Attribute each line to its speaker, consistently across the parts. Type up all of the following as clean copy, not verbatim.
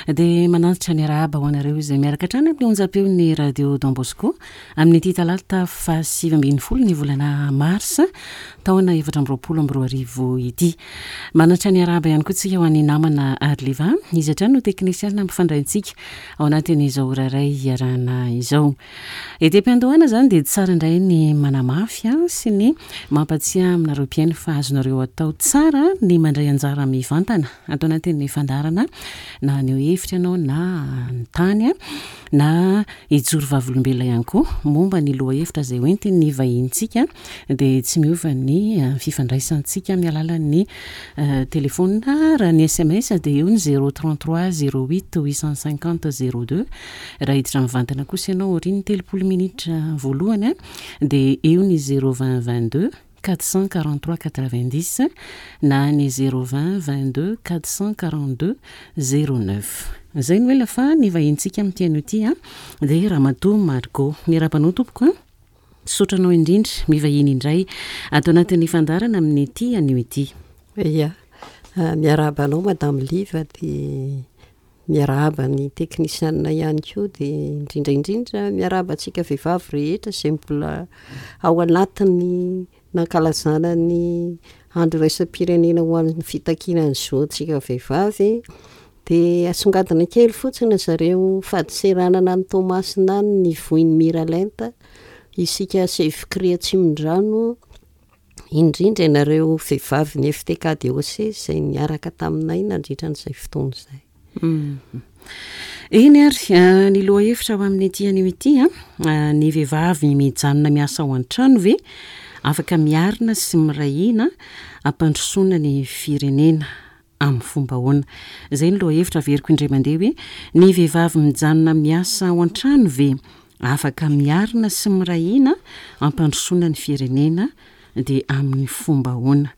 Speaker 1: Dia manantitra ny arahaba ho anareo izay miaraka hatrany amin'ny onjam-peon'ny Radio Don Bosco amin'ity talata faha-19 ny volana marsa taona 2024 ity. Manantitra ny arahaba ihany koa tsika ho an'ny namana Arliva, izy hatrany no teknisianina mpifandray antsika ao anatin'izao ora iray iarahana izao. Ety am-piandohana izany dia tsara indray ny manamafy sy ny mampatsiahy aminareo mpihaino fa azonareo atao tsara ny mandray anjara mivantana ato anatin'ny fandaharana na haneho hevitra ianao na hanontany na hijoro vavolombelona ihany koa momba ny lohahevitra izay hoentin'ny vahinintsika dia tsy miova ny fifandraisantsika amin'ny alalan'ny telefaonina. Raha ny sms dia eo ny 033 08 850 02. Raha hiditra mivantana kosa ianao aorian'ny 30 minitra voalohany dia eo ny 020 22 443 90 na ny 020 22 442 09. Izay no ela fa ny vahinintsika amin'ity anio ity dia Ramatoa Margot. Miarahaba anao tompoko a! Misaotra anao indrindra mivahiny indray ato anatin'ny fandaharana amin'ity anio ity.
Speaker 2: Ia, miarahaba anao Madame Liva dia miarahaba ny teknisianina ihany koa dia indrindra indrindra miarahaba antsika vehivavy rehetra izay mbola ao anatin'ny nankalazana ny andro iraisam-pirenena ho an'ny fitakiana ny zontsika vehivavy dia asongadina kely fotsiny zareo fadintseranana any Toamasina any ny voin'ny Miralenta isika Sefcri Atsimondrano indrindra ianareo vehivavin'ny FTK DOC izay niaraka taminay nandritra an'izay fotoana izay.
Speaker 1: Eny ary, eh, ny lohahevitra ho amin'ity anio ity, eh, ny vehivavy mijanona miasa ao an-trano ve afaka miarina sy miray hina hampandrosoana ny firenena? Amin'ny fomba ahoana? Izay ny lohahevitra averiko indray mandeha hoe, ny vehivavy mijanona miasa ao an-trano ve afaka miarina sy miray hina hampandrosoana ny firenena dia amin'ny fomba ahoana?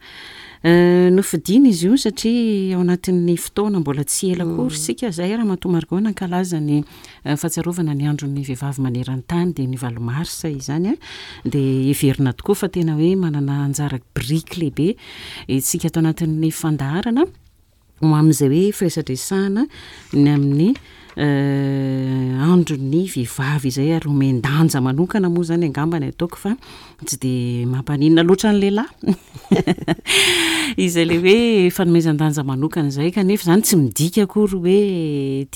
Speaker 1: Nofidiana izy io satria ao anatin'ny fotoana mbola tsy ela akory isika izay Ramatoa Margot nankalaza ny fahatsiarovana ny andron'ny vehivavy maneran-tany dia ny valo marsa izany dia heverina tokoa fa tena hoe manana anjara biriky lehibe isika ato anatin'ny fandaharana ho amin'izay hoe firesadresahana ny amin'ny andron'ny vehivavy izay ary omen-danja manokana moa izany angamba ny ataoko fa tsy dia mampaninona loatra ny lehilahy izay le hoe fanomezan-danja manokana izay kanefa izany tsy midika akory hoe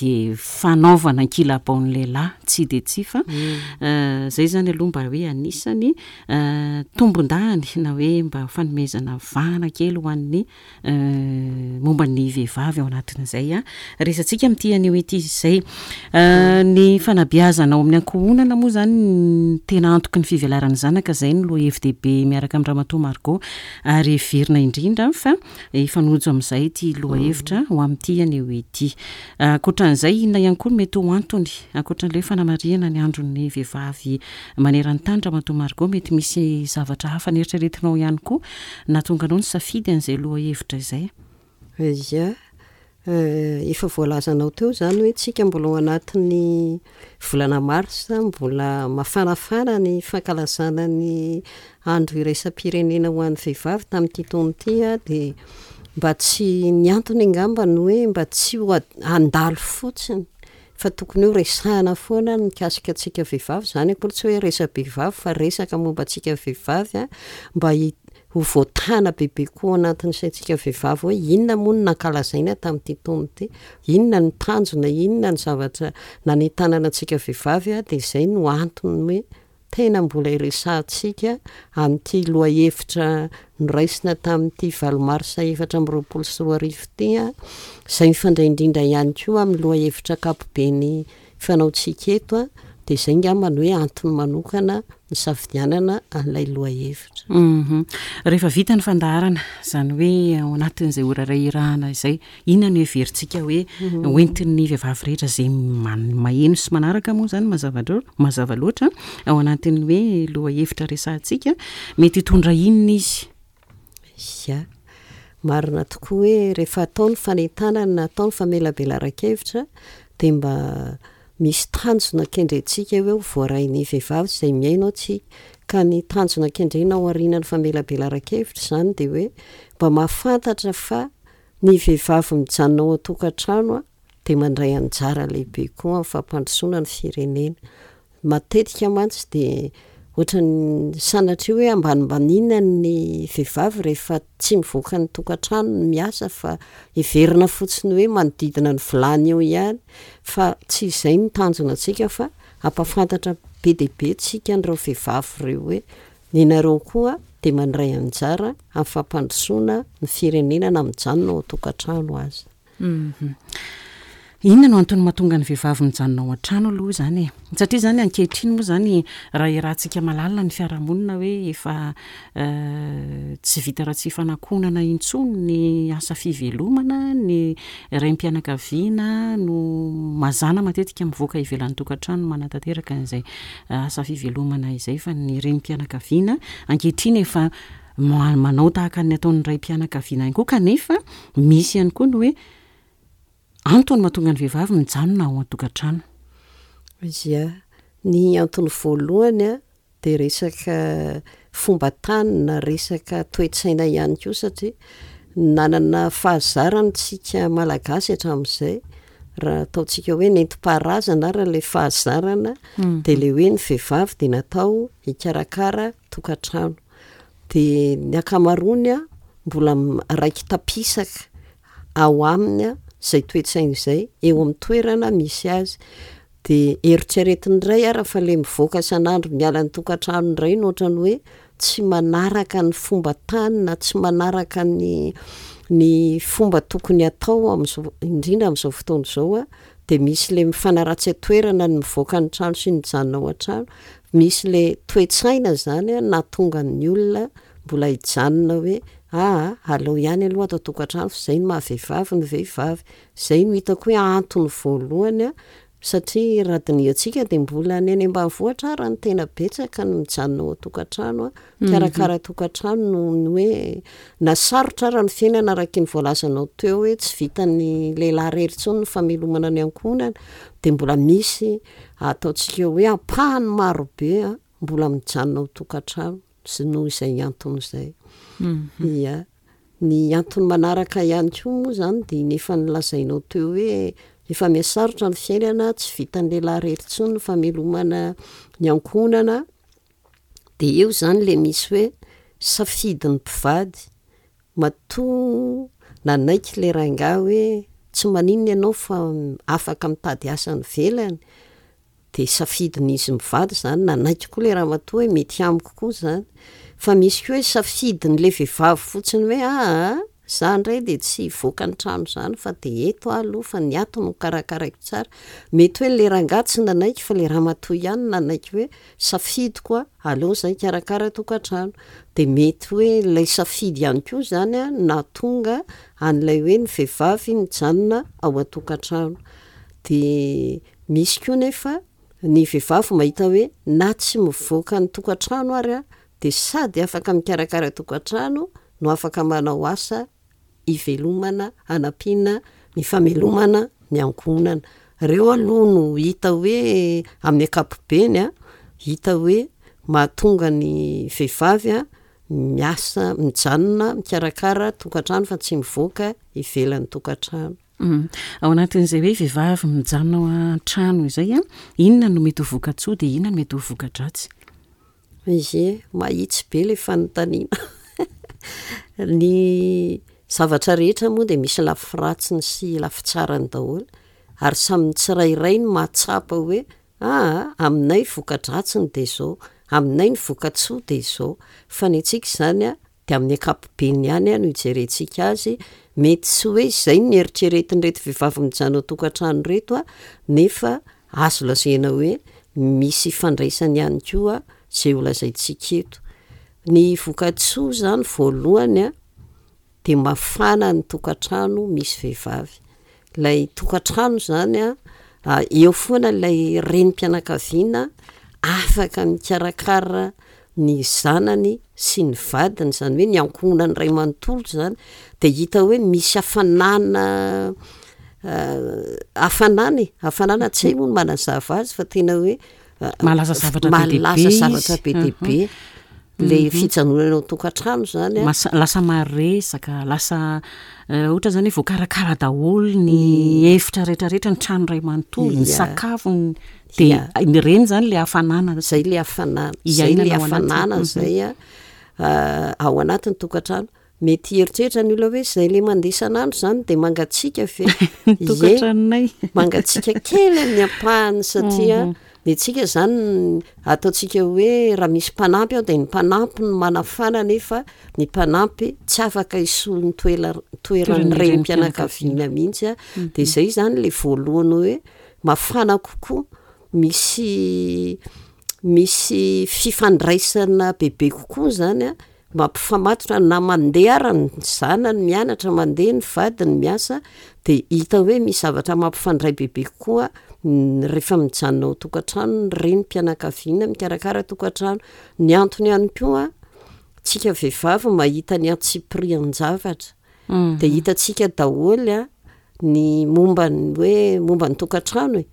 Speaker 1: dia fanaovana ankilabao ny lehilahy tsia dia tsia fa izay izany aloha mba hoe anisany tombondahiny na hoe mba fanomezana vahana kely ho an'ny momba ny vehivavy ao anatin'izay resatsika amin'ity anio ity izay. Ny fanabeazana ao amin'ny ankohonana moa izany no tena antoky ny fivelaran'ny zanaka, izay no lohahevi-dehibe miaraka amin'i Ramatoa Margot ary heverina indrindra fa hifanojo amin'izay ity lohahevitra ho amin'ity anio ity. Ankoatran'izay, inona ihany koa no mety ho antony, ankoatran'ilay hoe fanamarihana ny andron'ny vehivavy maneran-tany Ramatoa Margot, mety misy zavatra hafa neritreretinao ihany koa Nahatonga anao nisafidy an'izay lohahevitra izay?
Speaker 2: Ia, efa voalazanao teo izany hoe tsika mbola ao anatin'ny volana marsa, mbola mafanafana ny fankalazana ny andro iraisam-pirenena ho an'ny vehivavy tamin'ity taona ity dia mba tsy, ny antony angamba ny hoe mba tsy ho handalo fotsiny fa tokony ho resahana foana ny mikasika antsika vehivavy, izany akory tsy hoe resa-behivavy fa resaka momba antsika vehivavy mba ho voatana bebe koa ao anatin'ny saintsika vehivavy hoe inona moa no nankalazaina tamin'ity taona ity, inona ny tanjona, inona ny zavatra nanentanana antsika vehivavy dia izay no antony hoe Tena mbola iresahantsika amin'ity lohahevitra noraisina tamin'ity valo marsa 2024 ity, izay mifandray indrindra ihany koa amin'ny lohahevitra ankapobeny fanaontsika eto, dia izay angamba no hoe antony manokana nisafidianana an'ilay lohahevitra.
Speaker 1: Rehefa vita ny fandaharana, izany hoe ao anatin'izay ora iray irahana izay, Inona no heverintsika hoe hoentin'ny vehivavy rehetra izay maheno sy manaraka moa izany mazava mazava loatra ao anatin'ny hoe lohahevitra resahantsika, mety hitondra inona izy?
Speaker 2: Ia, marina tokoa hoe rehefa atao ny fanentanana na atao ny famelabelaran-kevitra dia mba misy tanjona kendrentsika hoe ho voarain'ny vehivavy izay mihaino antsika. Ka ny tanjona kendrena ao aorianan'ny famelabelaran-kevitra izany dia hoe mba mahafantatra fa Ny vehivavy mijanona ao an-tokantrano dia mandray anjara lehibe koa amin'ny fampandrosoana ny firenena. Matetika mantsy dia ohatran'ny sanatria hoe ambanimbaniana ny vehivavy rehefa tsy mivoaka ny tokantrano ny miasa fa heverina fotsiny hoe manodidina ny vilany eo ihany fa tsy izay no tanjona antsika fa hampahafantatra be dia be tsika an'ireo vehivavy ireo hoe Ianareo koa dia mandray anjara amin'ny fampandrosoana ny firenena na mijanona ao an-tokantrano aza.
Speaker 1: Inona no antony mahatonga ny vehivavy mijanona ao an-trano aloha izany e? Satria izany ankehitriny moa izany raha iarahantsika mahalala ny fiarahamonina hoe efa tsy vita raha tsy ifanakonana intsony ny asa fivelomana, ny raim-pianakaviana no mazàna matetika mivoaka ivelan'ny tokantrano manatanteraka an'izay asa fivelomana izay fa ny renim-pianakaviana ankehitriny efa manao tahaka ny ataon'ny raim-pianakaviana ihany koa kanefa misy ihany koa ny hoe antony mahatonga ny vehivavy mijanona ao an-tokantrano.
Speaker 2: Ia, ny antony voalohany a dia resaka fomban-tany na resaka toe-tsaina ihany koa satria nanana fahazarana isika Malagasy hatramin'izay Raha ataontsika hoe nentim-paharazana ary ilay fahazarana dia ilay hoe ny vehivavy dia natao hikarakara tokantrano. Dia ny ankamaroany mbola raiki-tapisaka ao aminy izay toe-tsaina izay eo amin'ny toerana misy azy. Dia eritreretiny indray ary fa ilay mivoaka isan'andro miala ny tokantrano indray no ohatran'ny hoe tsy manaraka ny fomba tany na tsy manaraka ny ny fomba tokony hatao amin'izao indrindra amin'izao fotoana izao a, dia misy le mifanaratsy an-toerana ny mivoaka ny trano sy ny mijanona ao an-trano, misy le toe-tsaina zany a nahatonga ny olona mbola hijanona hoe aa aleo ihany aloha ato an-tokantrano fa izay no maha vehivavy ny vehivavy, izay no hitako hoe antony voalohany a Satria raha dinihantsika dia mbola ny any ambanivohitra ary no tena betsaka ny mijanona ao an-tokantrano, mikarakara tokantrano noho ny hoe na sarotra ary ny fiainana araka iny voalazanao teo hoe tsy vitan'ny lehilahy irery intsony ny famelomana ny ankohonana dia mbola misy ataontsika hoe ampahany marobe mbola mijanona ao an-tokantrano sy noho izay antony izay. Ia. Ny antony manaraka ihany koa moa izany dia ny efa nolazainao teo hoe efa mihasarotra ny fiainana, tsy vitan'ny lehilahy irery intsony ny famelomana ny ankohonana, dia eo izany ilay misy hoe safidin'ny mpivady, matoa nanaiky ilay rangahy hoe tsy maninona ianao fa afaka mitady asa any ivelany, Dia safidin'izy mivady izany, nanaiky koa ilay ramatoa hoe mety amiko koa izany. Fa misy koa hoe safidin'ilay vehivavy fotsiny hoe aa za indray dia tsy hivoaka ny trano izany fa dia eto aho aloha fa ny ato no karakaraiko tsara. Mety hoe ilay rangahy tsy nanaiky fa ilay ramatoa ihany no nanaiky hoe safidiko a, aleo izahay hikarakara tokantrano. Dia mety hoe ilay safidy ihany koa izany no nahatonga an'ilay hoe ny vehivavy mijanona ao an-tokantrano. Dia Misy koa nefa ny vehivavy mahita hoe na tsy mivoaka ny tokantrano ary aho dia sady afaka mikarakara tokantrano no afaka manao asa hivelomana hanampiana ny famelomana ny ankohonana. Ireo aloha no hita hoe amin'ny ankapobeny an, hita hoe mahatonga ny vehivavy miasa mijanona mikarakara tokantrano fa tsy mivoaka ivelan'ny tokantrano.
Speaker 1: Ao anatin'izay hoe vehivavy mijanona ao an-trano izay an, inona no mety ho voka-tsoa dia inona no mety ho voka-dratsy?
Speaker 2: Ie, mahitsy be ilay fanontaniana. Ny zavatra rehetra moa dia misy lafy ratsiny sy lafy tsarany daholo, ary samy ny tsirairay no mahatsapa hoe aa aminay voka-dratsiny dia izao, aminay ny voka-tsoa dia izao. Fa ny antsika izany an, dia amin'ny ankapobeny ihany no ijerentsika azy, mety tsy hoe izay no eritreretin'ireto vehivavy mijanona ao an-tokantrano ireto nefa azo lazaina hoe misy ifandraisany ihany koa izay ho lazaintsika eto. Ny vokatsoa izany voalohany dia mafana ny tokantrano misy vehivavy. Ilay tokantrano izany an, eo foana ilay renim-pianakaviana afaka mikarakara ny zanany sy ny vadiny, izany hoe ny ankohonany iray manontolo izany, dia hita hoe misy hafanana hafanana e, hafanana tsy hay moa ny manazava azy fa tena hoe
Speaker 1: Mahalaza zavatra be dia be
Speaker 2: mahalaza
Speaker 1: izy.
Speaker 2: zavatra be dia be. Le fijanonana ao an-tokantrano zany
Speaker 1: a. Masa- lasa maresaka, lasa ohatra zany hoe voakarakara daholo ny efitra rehetrarehetra, ny trano iray manontolo, ny sakafo, ny dia ireny zany le hafanana.
Speaker 2: Zay le hafanana, zay le
Speaker 1: Iainana ao anatiny.
Speaker 2: hafanana zay a, ao anatin'ny tokantrano. Mety hieritreritra ny olona hoe zay le mandeha isan'andro zany dia mangatsiaka ve?
Speaker 1: Ny tokantranonay.
Speaker 2: Mangatsiaka kely amin'ny ampahany satria ny antsika zany ataontsika hoe raha misy mpanampy ao dia ny mpanampy no manafana nefa ny mpanampy tsy afaka hisolo ny toela- toeran'ny renim-pianakaviana mihitsy a. Dia zay zany le voalohany hoe mafana kokoa, misy misy fifandraisana bebe kokoa zany a Mampifamatotra na mandeha ara ny zanany mianatra, mandeha ny vadiny miasa dia hita hoe misy zavatra mampifandray bebe kokoa rehefa mijanona ao an-tokantrano ny renim-pianakaviana mikarakara tokantrano. Ny antony ihany koa, tsika vehivavy mahita ny antsipirian-javatra dia hitantsika daholo ny momba ny hoe momba ny tokantrano e.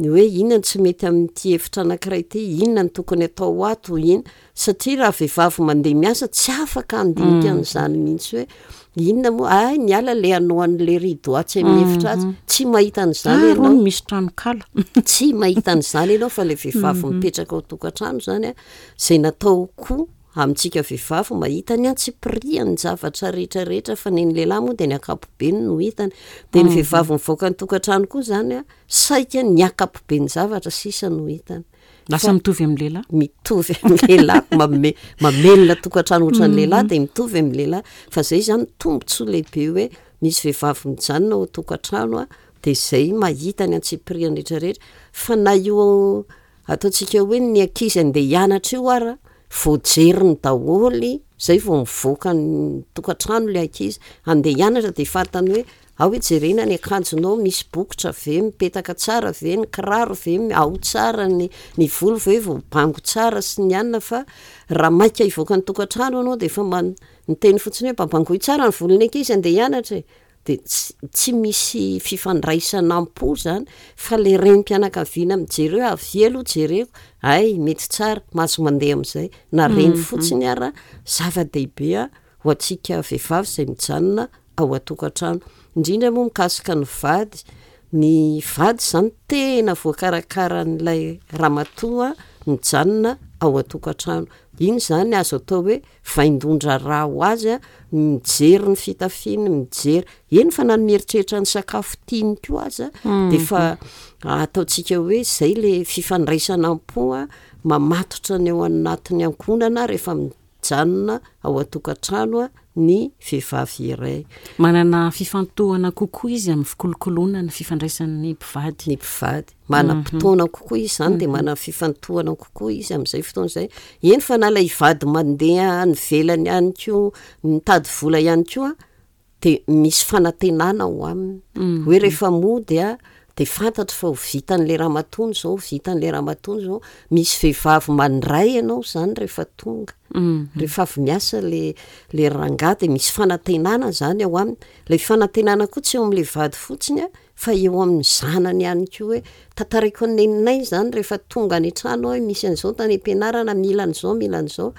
Speaker 2: Ny hoe inona no tsy mety amin'ity efitra anankiray ity, inona no tokony atao ato, inona, satria raha vehivavy mandeha miasa tsy afaka handinika an'izany mihitsy hoe inona moa, hay niala le hanao an'le rideau atsy amin'ny efitra atsy, tsy mahita an'izany
Speaker 1: Ah,
Speaker 2: ianao.
Speaker 1: rony misy tranonkala.
Speaker 2: Tsy mahita an'izany ianao fa le vehivavy mipetraka ao an-tokantrano izany a, izay natao koa amintsika vehivavy mahita ny antsipirihan'ny zavatra rehetra rehetra fa ny an'ny lehilahy moa dia ny ankapobeny no hitany. Dia ny vehivavy mivoaka ny tokantrano koa izany a, Saika ny ankapoben-javatra sisa no hitany.
Speaker 1: Lasa mitovy amin'ny lehilahy?
Speaker 2: Mitovy amin'ny lehilahy, manome, mamelona tokantrano ohatran'ny lehilahy dia mitovy amin'ny lehilahy. Fa izay izany tombontsoa lehibe hoe misy vehivavy mijanona ao an-tokantrano dia izay mahita ny antsipiriany rehetra rehetra. Fa na io ataontsika hoe ny ankizy andeha hianatra io ara, voajeriny daholo izay vao mivoaka ny tokantrano ilay ankizy andeha hianatra dia fantany hoe Ao hijerena ny akanjonao, misy bokotra ve, mipetaka tsara ve, ny kiraro ve ao tsara, ny ny volo ve voabango tsara sy ny anona fa raha maika hivoaka ny tokantrano ianao dia efa man- miteny fotsiny hoe mba bangoy tsara ny volon'ny ankizy andeha hianatra e! dia tsy tsy misy fifandraisana am-po zany fa le renim-pianakaviana mijery hoe avia aloha jereko, hay mety tsara, mahazo mandeha amin'izay, na reny fotsiny ara zava-dehibe a ho antsika vehivavy izay mijanona ao an-tokantrano. Indrindra moa mikasika ny vady, ny vady izany tena voakarakaran'ilay ramatoa mijanona ao an-tokantrano. Iny izany azo atao hoe vaindohan-draharaha ho azy ny mijery ny fitafiany, mijery, eny fa na ny mieritreritra ny sakafo tiany koa aza dia efa ataontsika hoe izay ilay fifandraisana am-po mamatotra ny ao anatin'ny ankohonana rehefa Mijanona ao an-tokantrano ny vehivavy iray.
Speaker 1: Manana fifantohana kokoa izy amin'ny fikolokoloana ny fifandraisan'ny mpivady.
Speaker 2: Ny mpivady. Manam-potoana kokoa izy izany dia manana fifantohana kokoa izy amin'izay fotoana izay. Eny fa na ilay vady mandeha any ivelany ihany koa, mitady vola ihany koa dia misy fanantenana ao aminy hoe rehefa mody a dia fantatro fa ho vitan'ilay ramatoa izao, ho vitan'ilay ramatoa izao, misy vehivavy mandray ianao izany rehefa tonga, rehefa avy miasa le le rangahy dia misy fanantenana izany ao aminy, ilay fanantenana koa tsy eo amin'ilay vady fotsiny a, fa eo amin'ny zanany ihany koa hoe tantaraiko an'i neninay izany rehefa tonga any an-trano aho hoe misy an'izao tany am-pianarana, mila an'izao, mila an'izao.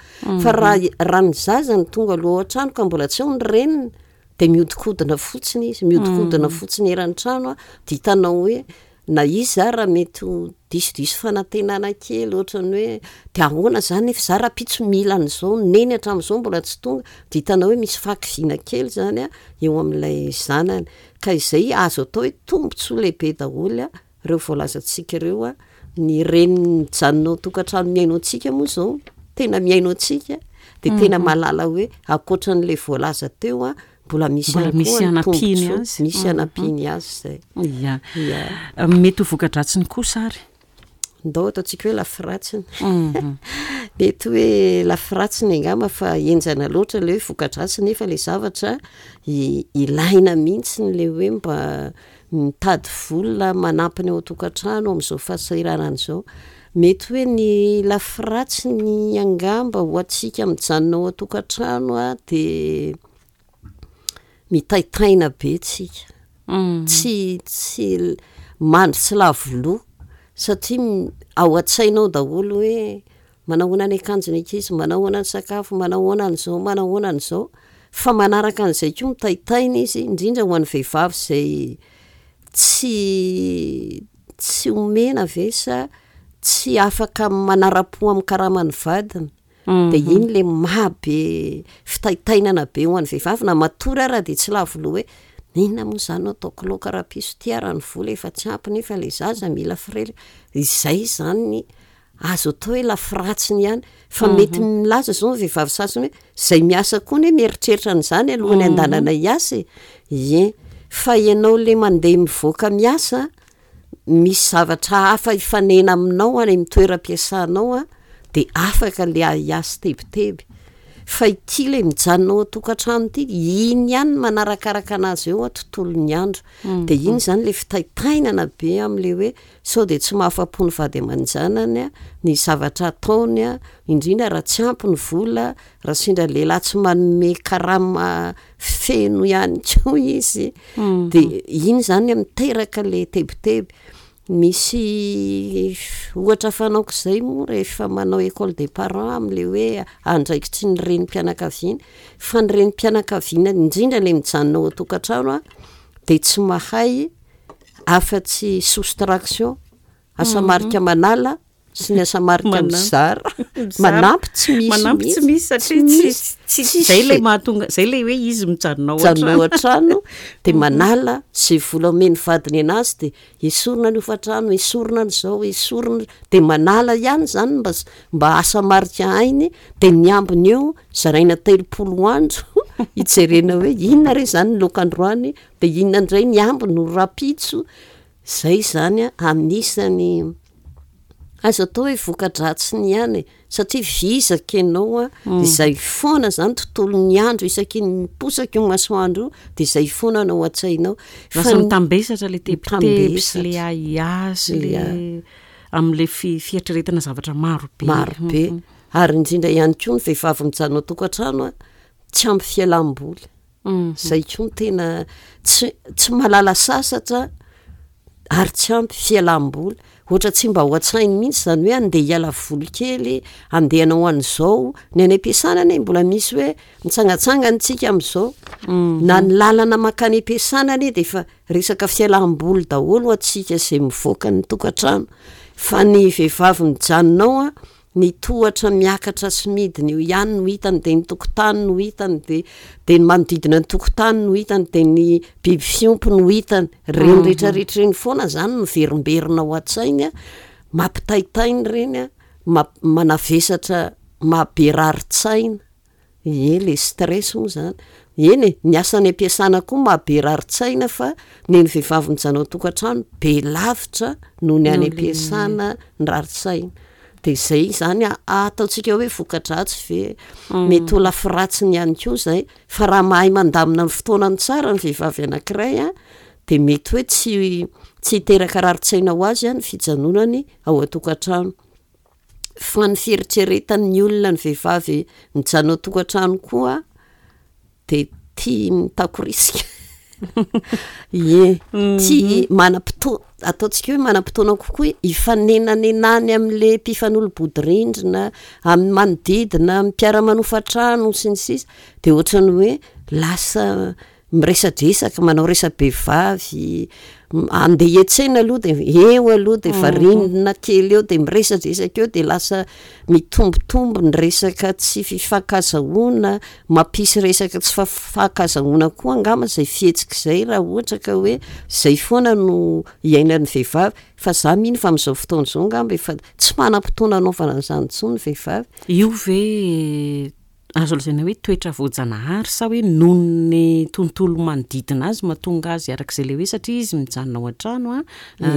Speaker 2: Fa raha raha ny zaza no tonga aloha ao an-trano ka mbola tsy ao ny reniny dia mihodinkodina fotsiny izy, mihodinkodina fotsiny eran'ny trano an, dia hitanao hoe na izy ara mety ho disodiso fanantenana kely ohatran'ny hoe dia ahoana izany nefa izaho rahampitso mila an'izao, neny hatramin'izao mbola tsy tonga, dia hitanao hoe misy fahakiviana kely izany an eo amin'ilay zanany. Ka izay azo atao hoe tombontsoa lehibe daholo ireo voalazantsika ireo, ny reny mijanona ao an-tokantrano mihaino antsika moa izao tena mihaino antsika dia tena mahalala hoe ankoatran'ilay voalaza teo mbola misy
Speaker 1: Mbola
Speaker 2: ihany
Speaker 1: misy
Speaker 2: koa ny
Speaker 1: hanampiany
Speaker 2: tombontsoa,
Speaker 1: azy.
Speaker 2: misy hanampiany azy izay.
Speaker 1: Ia.
Speaker 2: Ia.
Speaker 1: Mety ho voka-dratsiny kosa ary.
Speaker 2: Ndao ataontsika hoe lafiratsiny. Mety hoe lafiratsiny angamba fa henjana loatra ilay hoe voka-dratsy nefa ilay zavatra ilaina mihitsy ilay hoe mba mitady vola manampy ny ao an-tokantrano amin'izao fahasahiranana izao. Mety hoe ny lafiratsiny angamba ho antsika mijanona ao an-tokantrano dia mitaintaina be tsika, tsy tsy mandry tsy lavo loha satria ao an-tsaina ao daholo hoe. Manao ahoana ny akanjon'ny ankizy, manao ahoana ny sakafo, manao ahoana an'izao, manao ahoana an'izao. Fa manaraka an'izay koa mitaintaina izy, indrindra ho an'ny vehivavy izay tsy tsy omena ve sa tsy afaka manara-po amin'ny karaman'ny vadiny. Dia iny ilay maha be fitaintainana be ho an'ny vehivavy, na matory ara dia tsy lavo loha hoe inona moa izany no ataoko laoka rahampitso ity ary ny vola efa tsy ampy nefa ilay zaza mila frais. Izay izany ny Azo atao hoe lafiratsiny ihany fa mety milaza izao ny vehivavy sasany hoe izay miasa koa anie mieritreritra an'izany alohan'ny handanana hiasa e! Ie, fa ianao ilay mandeha mivoaka miasa, misy zavatra hafa hifanena aminao any amin'ny toeram-piasanao an, dia afaka ilay ahiahy sy tebiteby. Fa ity ilay mijanona ao an-tokantrano ity, iny ihany no manarakaraka an'azy eo tontolon'ny andro. Dia iny izany ilay fitaintainana be amin'ilay hoe Sao dia tsy mahafa-po ny vady aman-janany ny zavatra ataony, indrindra raha tsy ampy ny vola, raha sendra lehilahy tsy manome karama feno ihany koa izy, dia iny izany miteraka ilay tebiteby. Misy ohatra fanaoko izay moa rehefa manao école des parents amin'ilay hoe andraikitry ny renim-pianakaviana, fa ny renim-pianakaviana indrindra ilay mijanona ao an-tokantrano dia tsy mahay afa-tsy soustraction, asa marika manala sy ny asa marika mizara, manampy tsy misy
Speaker 1: Manampy tsy misy satria tsy tsy zay ilay mahatonga zay ilay hoe izy mijanona ao
Speaker 2: an-trano. Mijanona ao an-trano dia manala izay vola omen'ny vadiny anazy dia esorina ny hofantrano, esorina ny izao, esorina, dia manala ihany izany mba mba asa marika hainy dia ny ambiny eo zaraina 30 andro hijerena hoe inona re izany ny laoka androany Dia inona indray ny ambiny ho rahampitso? Izay izany anisany azo atao hoe voka-dratsiny ihany e, satria vizaka ianao an, izay foana izany tontolon'ny andro isaky ny miposaka io masoandro io dia izay foana no ao an-tsainao.
Speaker 1: Lasa mitambesatra ilay tebiteby sy ilay ahiahy sy ilay amin'ilay fieritreretana zavatra maro be.
Speaker 2: Maro be, ary indrindra ihany koa ny vehivavy mijanona ao an-tokantrano an, tsy ampy fialam-boly. Zay koa no tena tsy tsy mahalala sasatra ary tsy ampy fialam-boly. Ohatra tsy mba ao an-tsainy mihitsy zany hoe andeha hiala voly kely, andeha hanao an'izao. Ny any am-piasana anie mbola misy hoe mitsangatsangana isika amin'izao. Na ny lalana mankany am-piasana anie de efa resaka fialam-boly daholo ho antsika izay mivoaka ny tokantrano. Fa ny vehivavy mijanona ao an, Ny tohatra miakatra sy midina eo ihany no hitany, dia ny tokotany no hitany, dia dia ny manodidina ny tokotany no hitany, dia ny biby fiompy no hitany. Ireny rehetrarehetra ireny foana izany miverimberina ao an-tsainy an, mampitaintaina ireny an, mamp- manavesatra, mahabe rarin-tsaina. Ie, le stress moa zany. Eny e, ny asa any am-piasana koa maha be rarin-tsaina fa ny an'ny vehivavy mijanona ao an-tokantrano be lavitra noho ny any am-piasana ny rarin-tsaina. De zay zany ataontsika hoe voka-dratsy ve? Mety ho lafiratsiny ihany koa zay, fa raha mahay mandamina ny fotoanany tsara ny vehivavy anankiray a, de mety hoe tsy tsy hiteraka rarin-tsaina ho azy a ny fijanonany ao an-tokantrano. Fa ny fieritreretan'ny olona ny vehivavy mijanona ao an-tokantrano koa de tia mitakorisika, ie, tia manam-potoa- ataontsika hoe manam-potoana kokoa hifanenanenany amin'le mpifanolo-bodirindrina, amin'ny manodidina, amin'ny mpiara-manofa trano sy ny sisa, de ohatran'ny hoe lasa miresadresaka, manao resa-behivavy, andeha hiantsena aloha de eo aloha de variana kely eo de miresadresaka eo de lasa mitombotombo ny resaka tsy fifankazahoana, mampisy resaka tsy fifankazahoana koa angamba zay fihetsika izay raha ohatra ka hoe zay foana no iainan'ny vehivavy, fa za mino fa amin'izao fotoana izao angamba efa tsy manam-potoana hanaovana an'izany intsony ny vehivavy.
Speaker 1: Io ve Azo lazaina hoe toetra voajanahary sa hoe noho ny tontolo manodidina azy mahatonga azy araka izay ilay hoe satria izy mijanona ao an-trano an,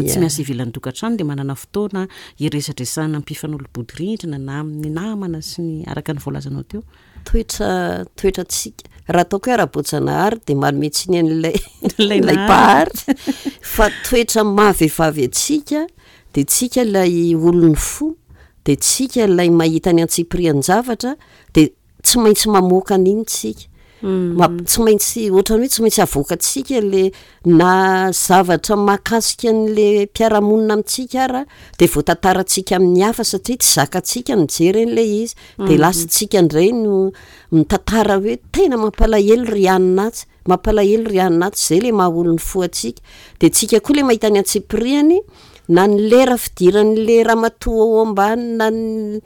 Speaker 1: tsy miasa ivelan'ny tokantrano dia manana fotoana hiresadresahana mpifanolo-bodirindrina na amin'ny namana sy ny araka ny voalazanao teo.
Speaker 2: Toetra, toetrantsika, raha ataoko hoe ara-boajanahary dia manome tsiny an'ilay ilay mpahary fa toetra maha vehivavy antsika dia tsika ilay olon'ny fo dia tsika ilay mahita ny antsipirian-javatra dia tsy maintsy mamoaka an'iny tsika. Tsy maintsy ohatran'ny hoe tsy maintsy avoakantsika le na zavatra mahakasika an'le mpiara-monina amintsika ara de voatantarantsika amin'ny hafa satria tsy zakantsika ny mijery an'ilay izy. De lasa tsika indray no mitantara hoe tena mampalahelo ry anona atsy, mampalahelo ry anona atsy, zay le maha olon'ny fo antsika. De tsika koa le mahita ny antsipiriany na ny lera fidiran'le ramatoa ao ambany na ny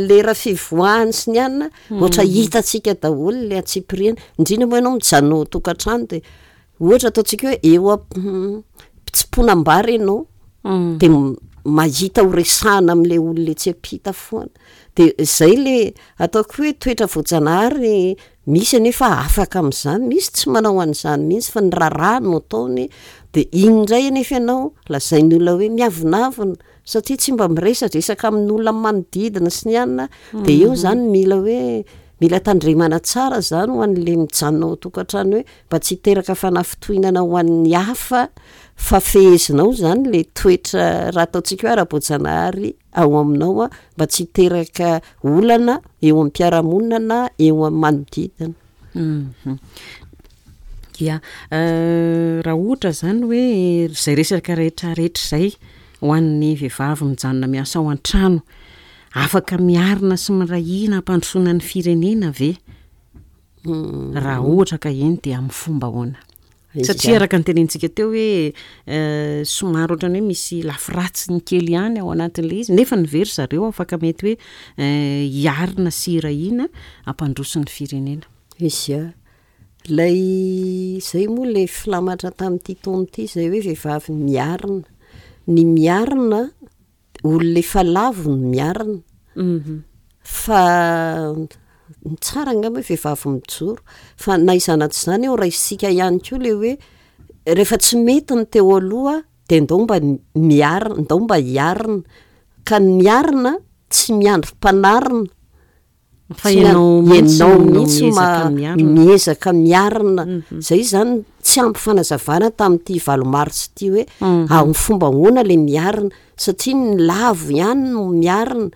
Speaker 2: lera fivoahany sy ny anona, ohatra hitantsika daholo le antsipiriany, indrindra moa ianao mijanona ao an-tokantrano de ohatra ataontsika hoe eo am-pitsimponam-bary ianao de mahita ho resahana amin'le olona etsy am-pita foana, de zay le ataoko hoe toetra voajanahary Misy anefa afaka amin'izany, misy tsy manao an'izany mihitsy fa ny raharaha no ataony, dia iny indray anefa ianao lazain'ny olona hoe miavonavona satria tsy mba miresadresaka amin'olona manodidina sy ny anona, dia eo izany mila hoe mila tandremana tsara izany ho an'ilay mijanona ao an-tokantrano hoe mba tsy hiteraka fanafintohinana ho an'ny hafa fa fehezinao izany ilay toetra raha ataontsika hoe ara-boajanahary. ao aminao mba tsy hiteraka olana eo amin'ny mpiara-monina na eo amin'ny manodidina.
Speaker 1: Ya, raha ohatra izany hoe izay resaka rehetra rehetra izay ho an'ny vehivavy mijanona miasa ao an-trano, afaka miarina sy miray hina hampandrosoana ny firenena ve? Raha ohatra ka eny dia amin'ny fomba ahoana? Satria araka ny tenenintsika teo hoe somary ohatran'ny hoe misy lafy ratsiny kely ihany ao anatin'ilay izy nefa ny ve ry zareo afaka mety hoe hiarina sy hirahina hampandroso ny firenena.
Speaker 2: Izy a, ilay izay moa ilay filamatra tamin'ity taona ity izay hoe vehivavy miarina. Ny miarina Olona efa lavo no miarina. Fa ny tsara angamba hoe vehivavy mijoro. Fa na izany na tsy izany eo raisintsika ihany koa ilay hoe rehefa tsy mety ny teo aloha dia ndao mba miarina, ndao mba hiarina. Ka ny miarina tsy miandry mpanarina.
Speaker 1: Fa ianao mihitsy
Speaker 2: Ianao
Speaker 1: no
Speaker 2: mihitsy
Speaker 1: miezaka
Speaker 2: ma-
Speaker 1: miarina.
Speaker 2: miezaka miarina. Zay izany tsy ampy fanazavana tamin'ity valo marsa ity hoe amin'ny fomba ahoana ilay miarina satria ny lavo ihany no miarina.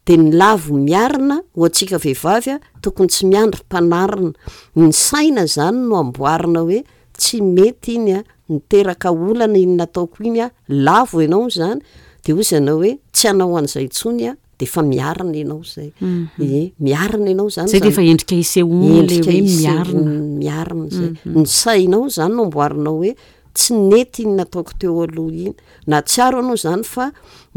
Speaker 2: Dia ny lavo miarina ho antsika vehivavy a, tokony tsy miandry mpanarina. Ny saina izany no amboarina hoe tsy mety iny a, niteraka olana iny nataoko iny a, lavo ianao izany dia hoy izy anao hoe tsy hanao an'izay intsony aho. de efa miarina ianao zay, ie miarina ianao zany
Speaker 1: Zay de efa endrika isehoany le
Speaker 2: endrika
Speaker 1: hoe miarina.
Speaker 2: isehoan'ny miarina zay, ny sainao zany no amboarinao hoe tsy nety iny nataoko teo aloha iny, nahatsiaro anao zany fa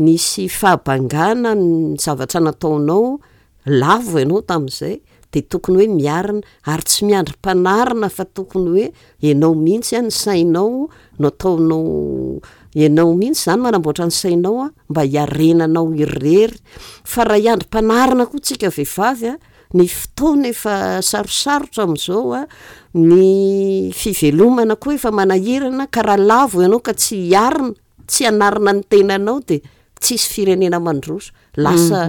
Speaker 2: nisy fahabangana ny zavatra nataonao, lavo ianao tamin'izay de tokony hoe miarina ary tsy miandry mpanarina fa tokony hoe ianao mihitsy an, ny sainao no ataonao, ianao mihitsy zany manamboatra ny sainao an mba hiarenanao irery, fa raha hiandry mpanarina koa tsika vehivavy an, ny fotoana efa sarosarotra amin'izao an, ny fivelomana koa efa manahirana ka raha lavo ianao ka tsy hiarina, tsy hanarina ny tenanao dia tsisy firenena mandroso, lasa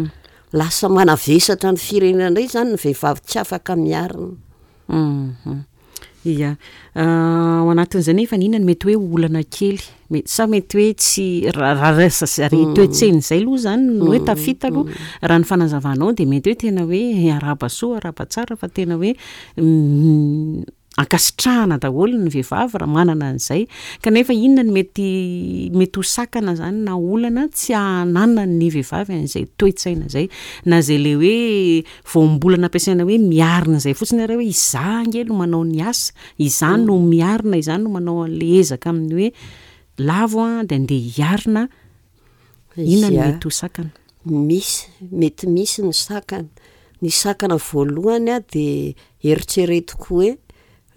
Speaker 2: lasa manavesatra ny firenena indray zany ny vehivavy tsy afaka miarina.
Speaker 1: Ia. Ao anatin'izay nefa inona no mety hoe olana kely? Mety sa mety hoe tsy raha raha toe-tsaina izay aloha izany no hoe tafita aloha, raha ny fanazavanao dia mety hoe tena hoe arahaba soa arahaba tsara fa tena hoe ankasitrahana daholo ny vehivavy raha manana an'izay. Kanefa inona no mety mety ho sakana izany na olana tsy hananan'ny vehivavy an'izay toe-tsaina izay? Na izay ilay hoe voambolana ampiasaina hoe miarina izay fotsiny ary hoe izaho ange no manao ny asa, izaho no miarina, izaho no manao an'ilay ezaka amin'ny hoe lavo aho dia andeha hiarina, inona no mety ho sakana?
Speaker 2: Misy, mety misy ny sakana. Ny sakana voalohany a dia eritreretiko hoe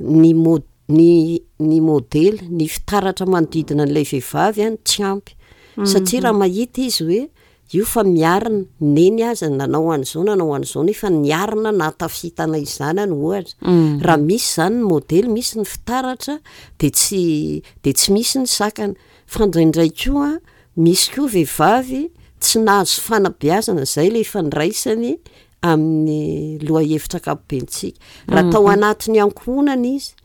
Speaker 2: ny mo- ny ny modely, ny fitaratra manodidina an'ilay vehivavy a no tsy ampy. Satria raha mahita izy hoe io fa miarina, neny aza nanao an'izao nanao an'izao nefa niarina nahatafita anay zanany ohatra. Raha misy izany ny modely, misy ny fitaratra dia tsy dia tsy misy ny sakana. Fa indraindray koa Misy koa vehivavy tsy nahazo fanabeazana, izay ilay ifandraisany amin'ny lohahevitra ankapobentsika. Raha tao anatin'ny ankohonana izy,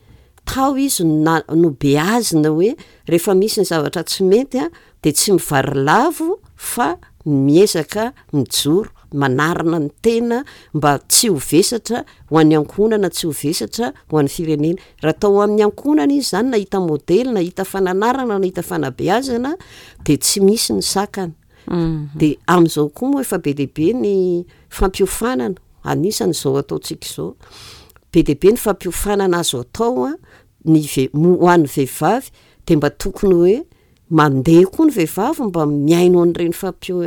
Speaker 2: tao izy no na- nobeazina hoe rehefa misy ny zavatra tsy mety a, dia tsy mivarilavo fa miezaka mijoro. manarina ny tena mba tsy ho vesatra ho an'ny ankohonana, tsy ho vesatra ho an'ny firenena. Raha tao amin'ny ankohonana izy izany nahita modely, nahita fananarana, nahita fanabeazana dia tsy misy ny sakana. Dia amin'izao koa moa efa be dia be ny fampiofanana, anisany izao ataontsika izao. Be dia be ny fampiofanana azo atao ny ve- ho an'ny vehivavy dia mba tokony hoe Mandeha koa ny vehivavy mba mihaino an'ireny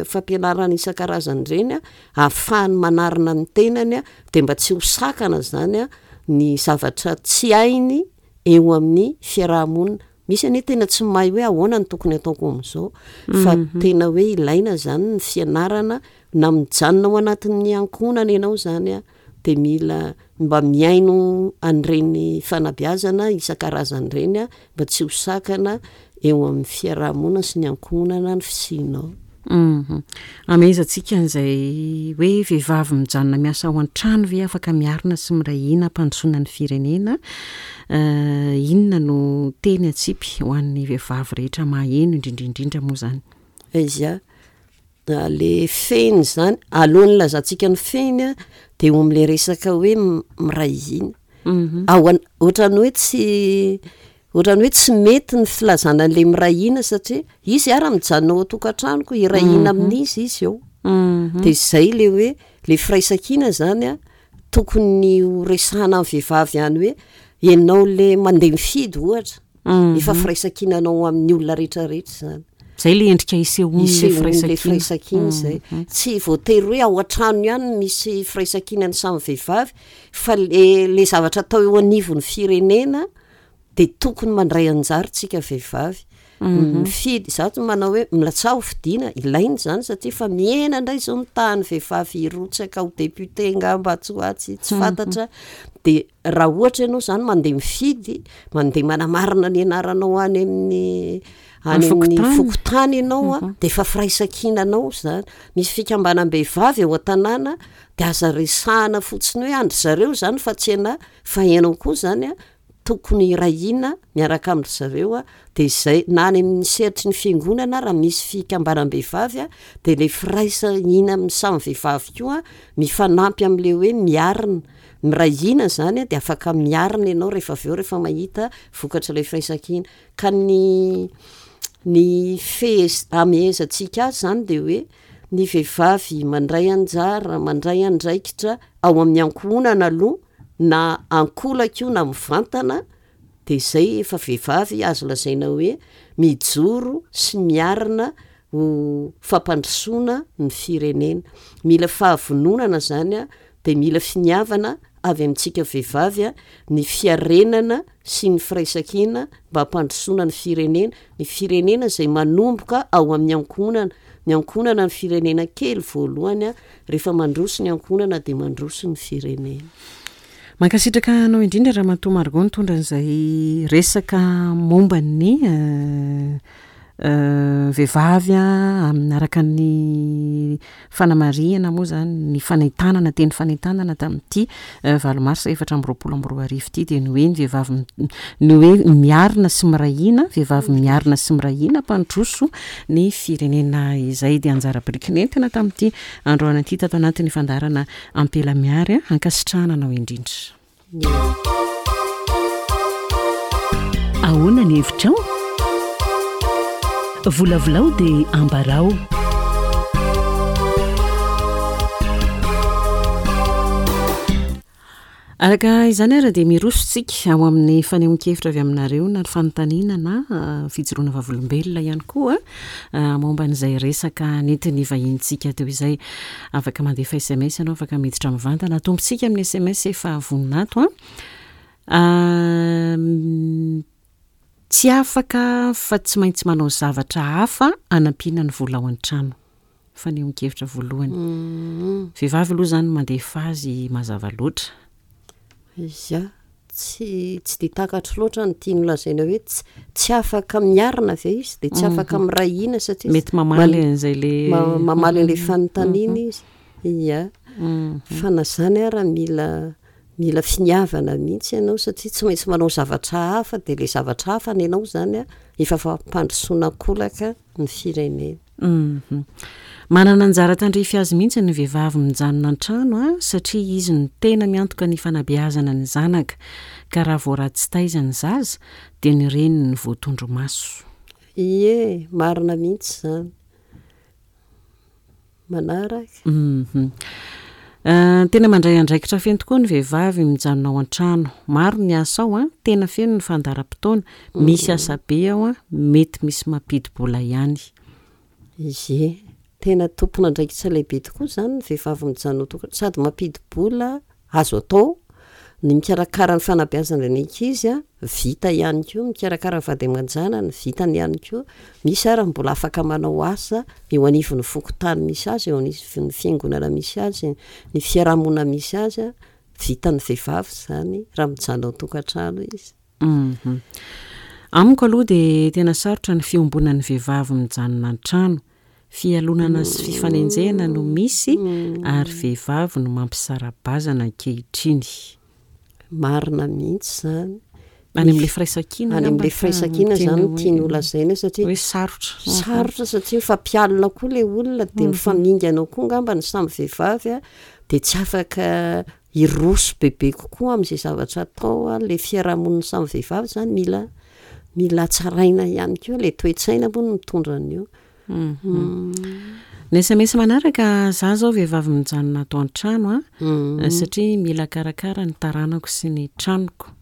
Speaker 2: fampianarana isan-karazany ireny ahafahany manarina ny tenany dia mba tsy ho sakana izany ny zavatra tsy hainy eo amin'ny fiaraha-monina. Misy anie tena tsy mahay hoe ahoana no tokony ataoko amin'izao fa tena hoe ilaina izany ny fianarana na mijanona ao anatin'ny ankohonana ianao izany dia mila mba mihaino an'ireny fanabeazana isan-karazany ireny mba tsy ho sakana eo amin'ny fiaraha-monina sy ny ankohonana ny fisianao.
Speaker 1: Amehezantsika an'izay hoe vehivavy mijanona miasa ao an-trano ve afaka miarina sy miray hina hampandrosoana ny firenena? Inona no teny atsipy ho an'ny vehivavy rehetra maheno indrindra indrindra moa izany?
Speaker 2: Aiza? Le fehiny izany, alohan'ny hilazantsika ny fehiny an, dia eo amin'ilay resaka hoe miray hina. Ao an- ohatran'ny hoe tsy ohatran'ny hoe tsy mety ny filazana an'ilay miray hina satria izy ary mijanona ao an-tokantranoko, hiray hina amin'iza izy eo? Dia izay ilay hoe ilay firaisankina izany an, tokony ho resahana amin'ny vehivavy ihany hoe ianao ilay mandeha mifidy ohatra, Efa firaisankinanao amin'ny olona rehetra rehetra izany.
Speaker 1: Izay ilay endrika isehoan'ilay
Speaker 2: firaisankina. Firaisankina izay. Tsy voatery hoe ao an-trano ihany no misy firaisankinan'ny samy vehivavy fa le le zavatra atao eo anivon'ny firenena dia tokony mandray anjara isika vehivavy. Mifidy, izaho tsy manao hoe milatsaha ho fidiana, ilaina izany satria efa mihena indray izao ny tahan'ny vehivavy hirotsaka ho député angamba atsy ho atsy, tsy fantatra. Dia Raha ohatra ianao izany mandeha mifidy, mandeha manamarina ny anaranao any amin'ny any amin'ny fokontany ianao an, dia efa firaisankinanao izany. Misy fikambanam-behivavy eo an-tanàna dia aza resahana fotsiny hoe an-dry zareo izany fa tsy anà, fa ianao koa izany an tokony hiray hina miaraka amin-dry zareo an, dia izay, na any amin'ny sehatry ny fiangonana raha misy fikambanam-behivavy an, dia ilay firaisan-hina amin'ny samy vehivavy koa mifanampy amin'ilay hoe miarina. Miray hina izany dia afaka miarina ianao rehefa avy eo rehefa mahita vokatr'ilay firaisankina. Ka ny ny fehez- amehezantsika azy izany dia hoe ny vehivavy mandray anjara, mandray andraikitra ao amin'ny ankohonana aloha na ankolaka io na mivantana dia izay efa vehivavy azo lazaina hoe mijoro sy miarina ho fampandrosoana ny firenena. Mila fahavononana izany dia mila finiavana avy amintsika vehivavy ny fiarenana sy ny firaisankina mba hampandrosoana ny firenena, ny firenena izay manomboka ao amin'ny ankohonana, ny ankohonana ny firenena kely voalohany, rehefa mandroso ny ankohonana dia mandroso ny firenena.
Speaker 1: Mankasitraka anao indrindra Ramatoa Margot nitondra an'izay resaka momba ny vehivavy amin'ny araka ny fanamarihana moa izany ny fanentanana teny fanentanana tamin'ity valo marsa 2024 ity dia ny hoe ny vehivavy ny hoe miarina sy miray hina, vehivavy miarina sy miray hina mpandroso ny firenena izay dia anjara biriky nentina tamin'ity androany ity tato anatin'ny fandaharana Ampela Miary ankasitrahana anao indrindra.
Speaker 3: Ahoana ny hevitrao? Volavolao dia ambarao.
Speaker 1: Araka izany ary dia miroso tsika ao amin'ny fanehoan-kevitra avy aminareo na ny fanontaniana na ah, fijoroana vavolombelona ihany koa ah, momba an'izay resaka nentin'ny vahinintsika teo izay. Afaka mandefa sms ianao, afaka miditra mivantana. Atombontsika amin'ny sms efa vonona ato an. Ah, tsy afaka fa tsy maintsy manao zavatra hafa hanampiana ny vola ao an-trano. Fanehoan-kevitra voalohany. Vehivavy aloha izany mandefa azy mazava loatra.
Speaker 2: Ia, tsy tsy dia takatro loatra ny tiany holazaina hoe tsy tsy afaka miarina ve izy dia tsy afaka miray hina satria
Speaker 1: Mety mamaly an'izay le
Speaker 2: mamaly an'ilay fanontaniana izy. Ia, fa na izany ara mila mila finiavana mihitsy ianao satria tsy maintsy manao zavatra hafa dia ilay zavatra hafa ny anao izany an efa fampandrosoana an-kolaka ny firenena.
Speaker 1: Hum. Manana anjara tandrify azy mihitsy ny vehivavy mijanona an-trano a, satria izy no tena miantoka ny fanabeazana ny zanaka, ka raha vao ratsy taiza ny zaza dia ny reniny no voatondro maso.
Speaker 2: Ie, marina mihitsy izany. Manaraka.
Speaker 1: Hum. Tena mandray andraikitra feno tokoa ny vehivavy mijanona ao an-trano. Maro ny asa ao an, tena feno ny fandaharam-potoana, misy asa be ao an, mety misy mampidi-bola ihany.
Speaker 2: Ie, tena tompon'andraikitra lehibe tokoa izany ny vehivavy mijanona ao an-tokantrano, sady mampidi-bola Azo atao ny mikarakara ny fanabeazana ny ankizy, vita ihany koa ny mikarakara ny vady aman-janany, vitany ihany koa. Misy ary ny mbola afaka manao asa eo anivon'ny fokontany misy azy, eo anivon'ny fiangonana misy azy, ny fiarahamonina misy azy. Vitan'ny vehivavy izany raha mijanona ao an-tokantrano izy.
Speaker 1: Amiko aloha dia tena sarotra ny fiombonan'ny vehivavy mijanona an-trano. Fialonana sy fifanenjehana no misy ary vehivavy no mampisara-bazana ankehitriny.
Speaker 2: Marina mihitsy izany.
Speaker 1: Any amin'ilay firaisankina
Speaker 2: Any amin'ilay firaisankina izany no tiany holazaina satria
Speaker 1: hoe sarotra.
Speaker 2: Sarotra satria mifampialona koa ilay olona dia mifamingana ao koa angamba ny samy vehivavy dia tsy afaka hiroso bebe kokoa amin'izay zavatra atao ilay fiarahamonin'ny samy vehivavy izany mila mila hatsaraina ihany koa ilay toe-tsaina moa no mitondra an'io.
Speaker 1: Ny sms manaraka, za zao vehivavy mijanona ato an-trano a, satria mila karakara ny taranako sy ny tranoko.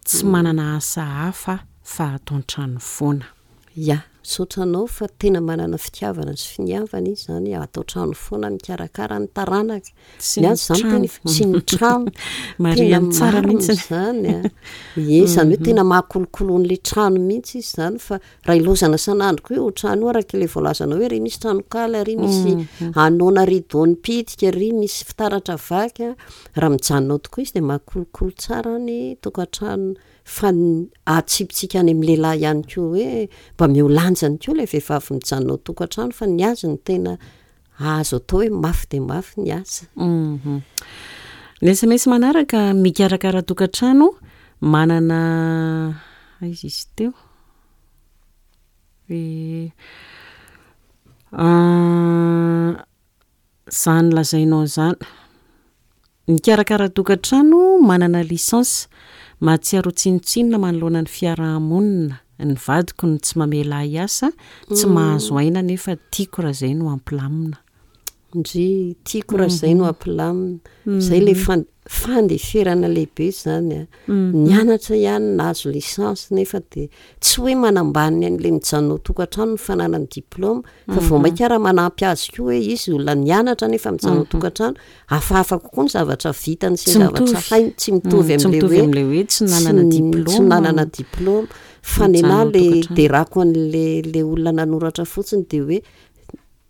Speaker 1: Tsy manana asa hafa aho fa ato an-trano foana.
Speaker 2: Ya, misaotra anao fa tena manana fitiavana sy finiavana izy zany ato an-trano foana mikarakara ny taranaka.
Speaker 1: Sy ny trano.
Speaker 2: Sy ny trano.
Speaker 1: Marihany tsara mihitsy.
Speaker 2: Izany a. Ie, izany hoe tena mahakolokolo an'ilay trano mihitsy izy izany fa raha ilaozana isan'andro koa io trano io araka ilay voalazanao hoe ry misy tranonkala, ry misy anona rideau nipitika, ry misy fitaratra vaky a. Raha mijanona ao tokoa izy dia mahakolokolo tsara ny tokantrano Fa ny atsipitsika any amin'ny lehilahy ihany koa hoe mba omeo lanjany koa ilay vehivavy mijanona ao tokantrano fa ny azy no tena azo atao hoe mafy dia mafy ny asa.
Speaker 1: Ny sms manaraka, mikarakara tokantrano, manana aiza izy teo? Izany lazainao izany. Mikarakara tokantrano, manana licence, mahatsiaro ho tsinontsinona manoloana ny fiaraha-monina, ny vadiko no tsy mamela ahy hiasa, tsy mahazo aina nefa tiako raha izay no hampilamina.
Speaker 2: Ndry, tiako raha izay no hampilamina. Izay ilay fandeferana lehibe izany a. Nianatra ihany, nahazo licence nefa dia tsy hoe manambany an'ilay mijanona ao tokantrano ny fananany diplaoma fa vao mainka ara manampy azy koa hoe izy olona nianatra nefa mijanona ao tokantrano, hafahafa kokoa ny zavatra vitany sy ny zavatra hainy, tsy mitovy amin'ilay
Speaker 1: hoe tsy nanana diplaoma.
Speaker 2: Tsy nanana diplaoma. Fa ny anà le derako an'le le olona nanoratra fotsiny dia hoe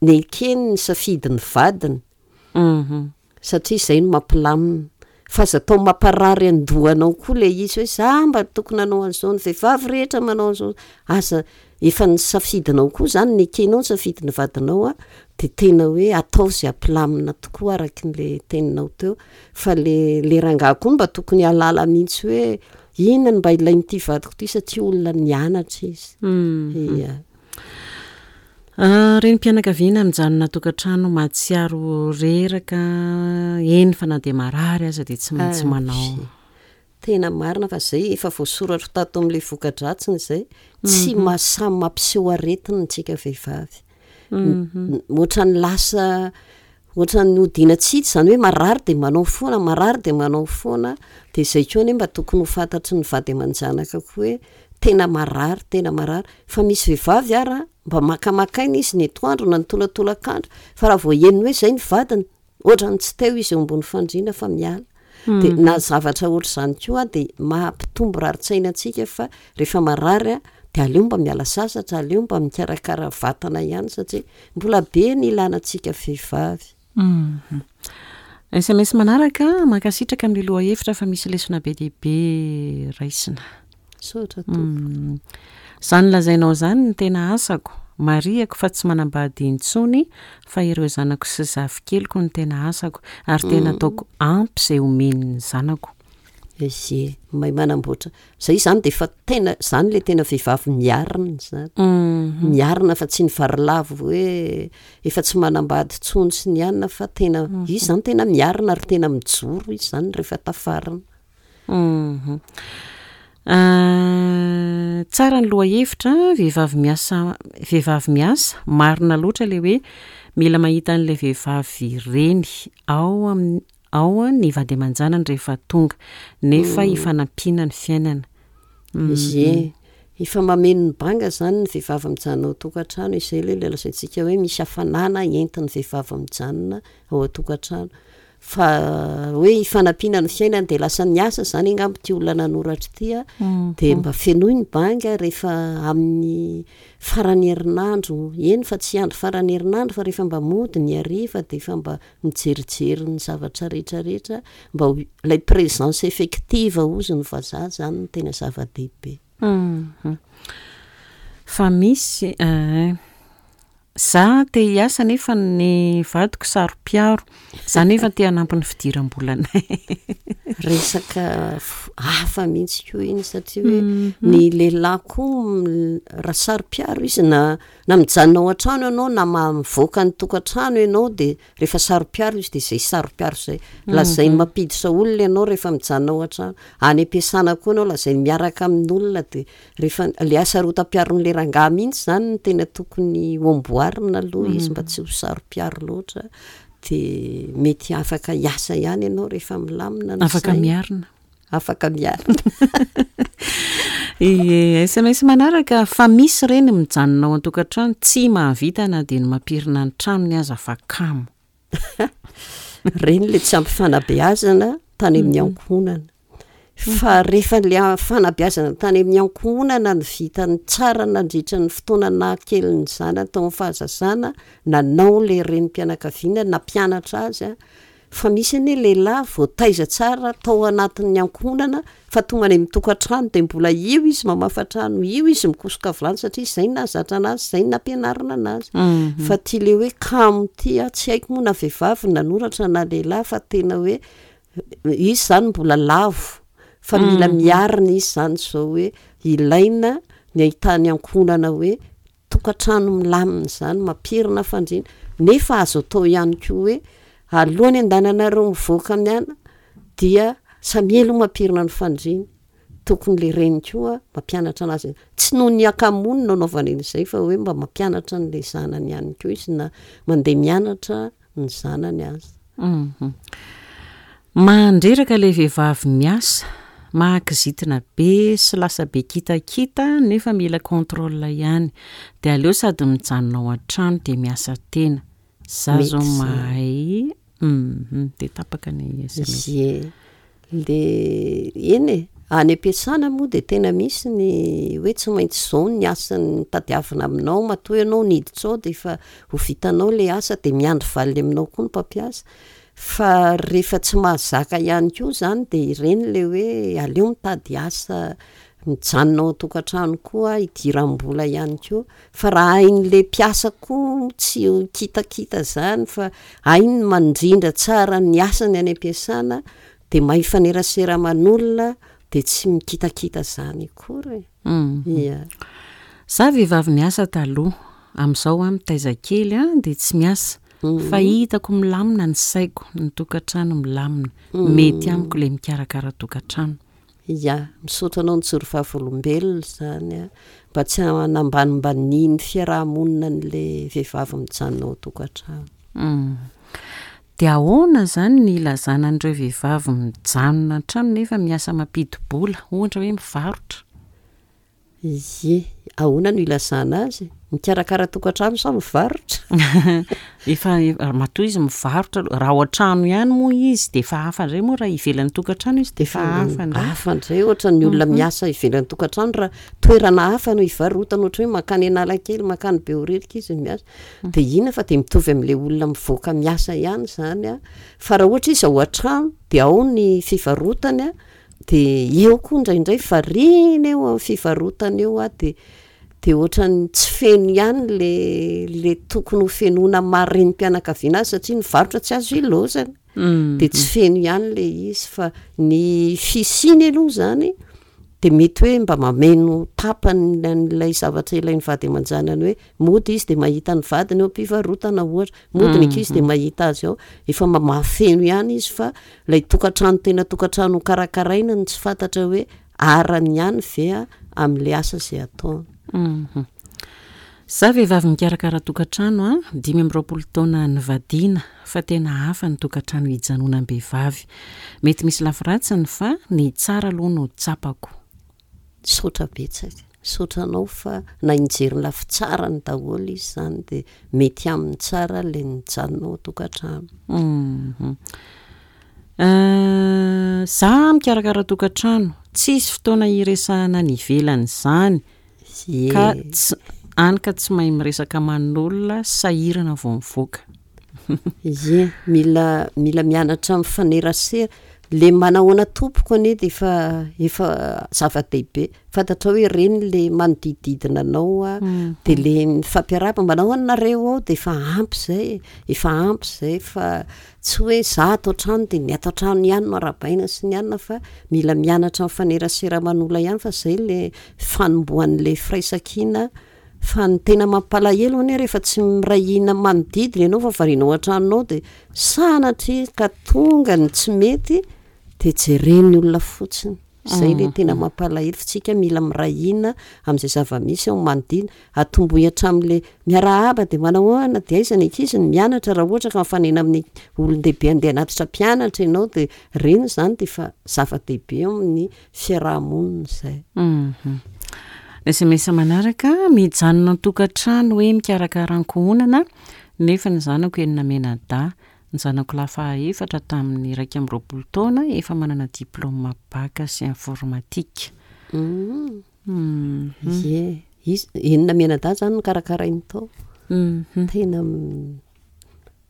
Speaker 2: nekeny ny safidin'ny vadiny. Satria izay no mampilamina. Fa aza atao mamparary an-dohanao koa ilay izy hoe za mba tokony hanao an'izao, ny vehivavy rehetra manao an'izao. Aza, efa ny safidinao koa izany, nekenao ny safidin'ny vadinao an, dia tena hoe atao izay hampilamina tokoa araka ilay teninao teo. Fa ilay ilay rangahy koa mba tokony hahalala mihitsy hoe inona no mba ilain'ity vadiko ity satria olona nianatra izy. Ia.
Speaker 1: Renim-pianakaviana mijanona an-tokantrano mahatsiaro reraka, eny fa na dia marary aza dia tsy maintsy manao.
Speaker 2: Tena marina fa izay efa voasoratro tato amin'ilay voka-dratsiny izay, tsy maha samy mampiseho aretina antsika vehivavy. Ohatran'ny lasa ohatran'ny hodiana tsy hita izany hoe marary dia manao foana, marary dia manao foana, dia izay koa anie mba tokony ho fantatry ny vady aman-janaka koa hoe tena marary, tena marary. Fa misy vehivavy ara mba makamaka aina izy ny atoandro na ny tolatolakandro fa raha vao henony hoe izay ny vadiny, ohatran'ny tsy teo izy eo ambony fandriana fa miala. Dia na zavatra ohatr'izany koa dia maha-mpitombo rarin-tsaina antsika fa rehefa marary dia aleo mba miala sasatra, aleo mba mikarakara vatana ihany satria mbola be ny ilana antsika vehivavy.
Speaker 1: Sms manaraka, mankasitraka amin'ny lohahevitra fa misy lesona be dia be raisina.
Speaker 2: Misaotra tompoko.
Speaker 1: Izany lazainao izany no tena asako. Marihako fa tsy manambady intsony fa ireo zanako sy zafikeliko no tena asako ary tena ataoko ampy izay omen'ny zanako.
Speaker 2: Ie, mahay manamboatra. Zay izany dia efa tena, izany ilay tena vehivavy miarina izany. Miarina fa tsy ny varilavo hoe efa tsy manambady intsony sy ny anona fa tena, izy izany tena miarina ary tena mijoro izy izany rehefa tafarina.
Speaker 1: Tsara ny lohahevitra, vehivavy miasa, vehivavy miasa, marina loatra ilay hoe mila mahita an'ilay vehivavy reny ao amin'ny ao ny vady aman-janany rehefa tonga, nefa ifanampiana ny fiainana.
Speaker 2: Ie, efa mameno ny banga izany ny vehivavy mijanona ao an-tokantrano, izay ilay lazaintsika hoe misy hafanana entin'ny vehivavy mijanona ao an-tokantrano. Fa hoe ifanampiana ny fiainana dia lasa niasa izany angamba ity olona nanoratra ity a, dia mba fenoy ny banga rehefa amin'ny faran'ny herinandro, eny fa tsy andro faran'ny herinandro fa rehefa mba mody ny hariva dia efa mba mijerijery ny zavatra rehetra rehetra mba ho ilay présence effective hozy ny vazaha izany no tena zava-dehibe.
Speaker 1: Fa misy eh. Za te hiasa nefa ny vadiko saro-piaro, za nefa te hanampy ny fidiram-bolanay.
Speaker 2: Resaka hafa mihitsy koa iny satria hoe ny lehilahy koa raha saro-piaro izy na na mijanona ao an-trano ianao na mivoaka ny tokantrano ianao dia rehefa saro-piaro izy dia izay saro-piaro izay. Lazainy mampiditra olona ianao rehefa mijanona ao an-trano. Any am-piasana koa ianao lazainy miaraka amin'olona dia Rehefa le hasarotam-piaron'le rangahy mihitsy zany no tena tokony ho amboarina aloha izy mba tsy ho saro-piaro loatra de mety afaka hiasa ihany ianao rehefa milamina ny
Speaker 1: Afaka
Speaker 2: saina.
Speaker 1: miarina.
Speaker 2: Afaka miarina.
Speaker 1: Ie, sms manaraka, fa misy reny mijanona ao an-tokantrano tsy mahavita na dia ny mampirina ny tranony aza fa kamo.
Speaker 2: Ireny ilay tsy ampy fanabeazana tany amin'ny ankohonana. Fa rehefa ilay fanabeazana tany amin'ny ankohonana no vitany tsara nandritra ny fotoana nahakely ny zanany tao amin'ny fahazazana, nanao ilay renim-pianakaviana nampianatra azy Fa misy anie lehilahy voataiza tsara tao anatin'ny ankohonana fa tonga any amin'ny tokantrano dia mbola io izy mamafa trano, io izy mikosoka vilany satria izay no nahazatra anazy, izay no nampianarina anazy. Fa ity le hoe kamo ity an, tsy haiko moa na vehivavy no nanoratra na lehilahy fa tena hoe izy izany mbola lavo fa mila miarina izy izany izao hoe ilaina ny ahitany ankohonana hoe tokantrano milamina izany, mampirina fandriana, nefa azo atao ihany koa hoe alohan'ny andananareo mivoaka miala dia samia aloha mampirina ny fandriana, tokony le reny koa mampianatra anazy, tsy noho ny hakamoany no anaovany an'izay fa hoe mba mampianatra an'le zanany ihany koa izy na mandeha mianatra ny zanany aza.
Speaker 1: Mandreraka ilay vehivavy miasa, mahakizitina be sy lasa be kitakita nefa mila contrôle ihany. Dia aleo sady mijanona ao an-trano dia miasa tena. Za zao mahay, dia tapaka ny sms.
Speaker 2: Ie. Le eny e, any am-piasana moa dia tena misy ny hoe tsy maintsy izao ny asa tadiavina aminao, matoa ianao niditra ao dia efa ho vitanao ilay asa dia miandry valiny aminao koa ny mpampiasa. Fa rehefa tsy mahazaka ihany koa izany dia ireny ilay hoe aleo mitady asa mijanona ao an-tokantrano koa hidiram-bola ihany koa. Fa raha hain'ilay mpiasa koa tsy ho kitakita izany fa hainy ny mandrindra tsara ny asany any am-piasana dia mahay mifanerasera aman'olona dia tsy mikitakita izany akory e. Ia.
Speaker 1: Za vehivavy niasa taloha, amin'izao aho mitaiza kely an, dia tsy miasa, fa hitako milamina ny saiko, ny tokantrano milamina, mety amiko ilay mikarakara tokantrano.
Speaker 2: Ya, misaotra anao nijoro vavolombelona izany an, mba tsy hanambanimbanian'ny fiaraha-monina an'ilay vehivavy mijanona ao an-tokantrano.
Speaker 1: Humm. Dia ahoana izany ny hilazana an'ireo vehivavy mijanona an-trano nefa miasa mampidi-bola, ohatra hoe mivarotra?
Speaker 2: Ie, ahoana no ilazana azy? Mikarakara tokantrano sa mivarotra?
Speaker 1: Efa, matoa izy mivarotra aloha, raha ao an-trano ihany moa izy dia efa hafa indray moa raha ivelan'ny tokantrano izy dia efa hafa indray.
Speaker 2: Hafa indray ohatra ny olona miasa ivelan'ny tokantrano raha toerana hafa no ivarotana ohatra hoe mankany Analakely, mankany Behoririka izy miasa dia inona fa dia mitovy amin'ilay olona mivoaka miasa ihany izany an, fa raha ohatra izy ao an-trano dia ao ny fivarotany an, Dia eo koa indraindray variana eo amin'ny fivarotana eo aho dia dia ohatran'ny tsy feno ihany le le tokony ho fenoina maha renim-pianakaviana azy satria ny varotra tsy azo ilaozana. Dia tsy feno ihany ilay izy fa ny fisiany aloha izany dia mety hoe mba mameno tapany an'ilay zavatra ilain'ny vady aman-janany hoe mody izy dia mahita ny vadiny eo am-pivarotana ohatra, mody ny ankizy dia mahita azy ao, efa mba mahafeno ihany izy fa ilay tokantrano tena tokantrano hokarakaraina no tsy fantatra hoe arany ihany ve amin'ilay asa izay ataony.
Speaker 1: Za vehivavy mikarakara tokantrano a, 25 taona nivadiana fa tena hafa ny tokantrano hijanonam-behivavy. Mety misy lafiratsiny fa ny tsara aloha no tsapako.
Speaker 2: Misaotra betsaka. Misaotra anao fa nahay nijery ny lafitsarany daholo izy izany dia mety aminy tsara ilay nijanona ao an-tokantrano.
Speaker 1: Za mikarakara tokantrano, tsisy fotoana hiresahana any ivelany izany. Ka tsy, any ka tsy mahay miresaka aman'olona, sahirana vao mivoaka.
Speaker 2: Ie, mila mila mianatra mifanerasera. Le manahoana tompoko anie dia efa efa zava-dehibe. Fantatrao hoe ireny le manodidididina anao a, dia le mifampiarahaba, manahoana nareo ao dia efa ampy izay e, efa ampy izay fa tsy hoe za ato an-trano dia ny ato an-trano ihany no arahabaina sy ny anona fa mila mianatra mifanerasera aman'olona ihany fa izay le fanombohan'ilay firaisankina fa ny tena mampalahelo anie rehefa tsy miray hina manodidina ianao fa variana ao an-tranonao dia sanatria ka tonga ny tsy mety dia jeren'ny olona fotsiny, izay ilay tena mampalahelo fa tsika mila miray hina amin'izay zava-misy ao manodidina, atombohy hatramin'ilay miarahaba dia manahoana dia aiza ny ankizy no mianatra raha ohatra ka mifanena amin'ny olon-dehibe andeha hanatitra mpianatra ianao dia ireny izany dia efa zava-dehibe eo amin'ny fiaraha-monina
Speaker 1: izay. Sms manaraka, mijanona an-tokantrano hoe mikarakara ankohonana nefa ny zanako enina mianadahy. Ny zanako lahy fahaefatra tamin'ny 21 taona efa manana diplaoma bac sy informatique.
Speaker 2: Ie, izy enina mianadahy izany no karakarainy tao. Tena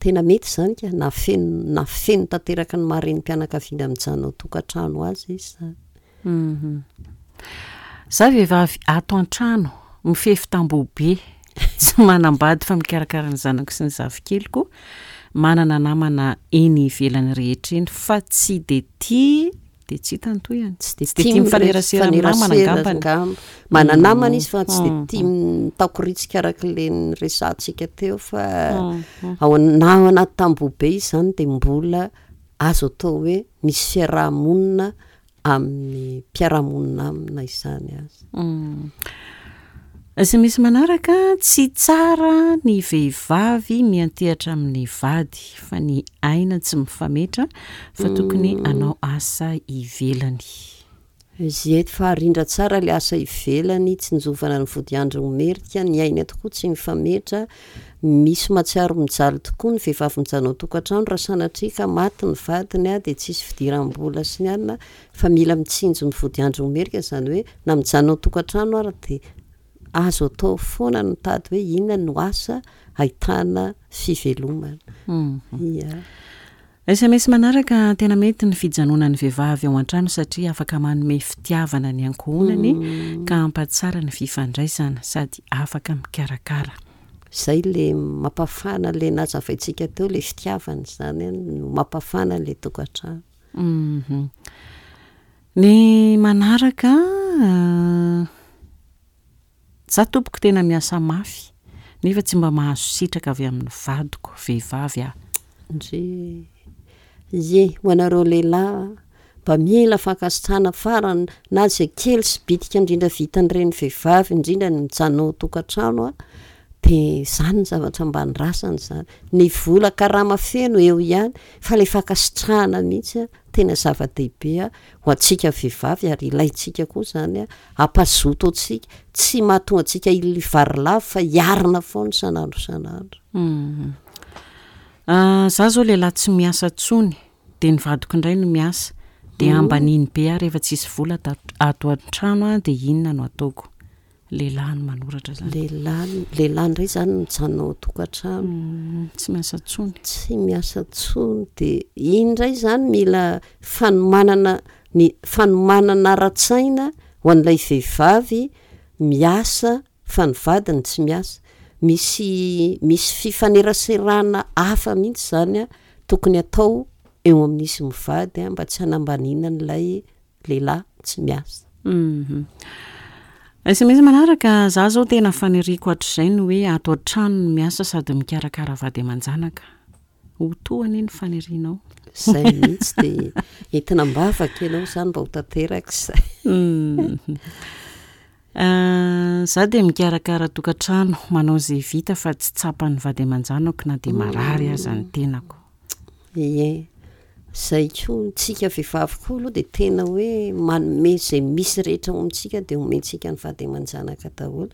Speaker 2: Tena mety izany ka, nahafeno nahafeno tanteraka ny maha renim-pianakaviana mijanona ao an-tokantrano azy izy izany.
Speaker 1: Za vehivavy ato an-trano, mifefy tamboho be, tsy manambady fa mikarakara ny zanako sy ny zafikeliko, manana namana eny ivelany rehetra eny fa tsy dia tia Dia tsy hita ny tohiny.
Speaker 2: Tsy dia tia mifanerasera amin'ny namana angambany. Angamba. Manana namana izy fa tsy dia tia mitakoritsika araka ilay niresahantsika teo fa ao na ao anaty tamboho be izy izany dia mbola azo atao hoe misy fiaraha-monina amin'ny mpiara-monina aminy na izany aza.
Speaker 1: Sms manaraka, tsy tsara ny vehivavy miantehatra amin'ny vady fa ny aina tsy mifametra fa tokony hanao asa ivelany.
Speaker 2: Ziety fa arindra tsara ilay asa ivelany, tsinjovana ny vodiandro merika, ny aina tokoa tsy mifametra, misy mahatsiaro mijaly tokoa ny vehivavy mijanona ao an-tokantrano raha sanatria ka maty ny vadiny dia tsisy fidiram-bola sy ny anona fa mila mitsinjo ny vodiandro merika izany hoe na mijanona ao an-tokantrano ary dia azo atao foana ny mitady hoe inona no asa ahitana fivelomana.
Speaker 1: Ia. Sms manaraka, tena mety ny fijanonan'ny vehivavy ao an-trano satria afaka manome fitiavana ny ankohonany ka hampatsara ny fifandraisana sady afaka mikarakara.
Speaker 2: Izay le mampafana le nazavaintsika teo le fitiavana izany no mampafana le tokantrano.
Speaker 1: Ny manaraka Za tompoko tena miasa mafy nefa tsy mba mahazo sitraka avy amin'ny vadiko, vehivavy aho.
Speaker 2: Ndrii. Ie, ho anareo lehilahy mba mila fankasitrahana farany na izay kely sy bitika indrindra vitan'ireny vehivavy indrindra ny mijanona ao an-tokantrano an, dia izany ny zavatra mba andrasana izany. Ny vola karama feno eo ihany fa ilay fankasitrahana mihitsy an, tena zava-dehibe ho antsika vehivavy ary ilaintsika koa izany hampazoto antsika, tsy mahatonga antsika hivarilavo fa hiarina foana isan'andro isan'andro.
Speaker 1: Za zao lehilahy tsy miasa tsony de ny vadiko indray no miasa de ambaniny be aho rehefa tsisy vola ato an-trano de inona no ataoko? Lehilahy no manoratra zany.
Speaker 2: Lehilahy, lehilahy indray zany no mijanona ao an-tokantrano.
Speaker 1: Tsy miasa tsony.
Speaker 2: Tsy miasa tsony de iny indray zany mila fanomanana ny fanomanana ara-tsaina ho an'ilay vehivavy miasa fa ny vadiny tsy miasa. Misy misy fifaneraserana hafa mihitsy zany tokony atao. eo amin'izy mivady mba tsy hanambaniana an'ilay lehilahy tsy miasa.
Speaker 1: Sms manaraka, Za zao tena faniriako hatrizay ny hoe ato an-trano no miasa sady mikarakara vady aman-janaka. Ho to anie ny fanirianao.
Speaker 2: Izay mihitsy dia entina am-bavaka ianao izany mba ho tanteraka izay.
Speaker 1: Za dia mikarakara tokantrano, manao izay vita fa tsy tsapan'ny vady aman-janako na dia marary aza ny tenako.
Speaker 2: Ie, izay koa, tsika vehivavy koa aloha dia tena hoe manome izay misy rehetra ao amintsika dia omentsika ny vady aman-janaka daholo.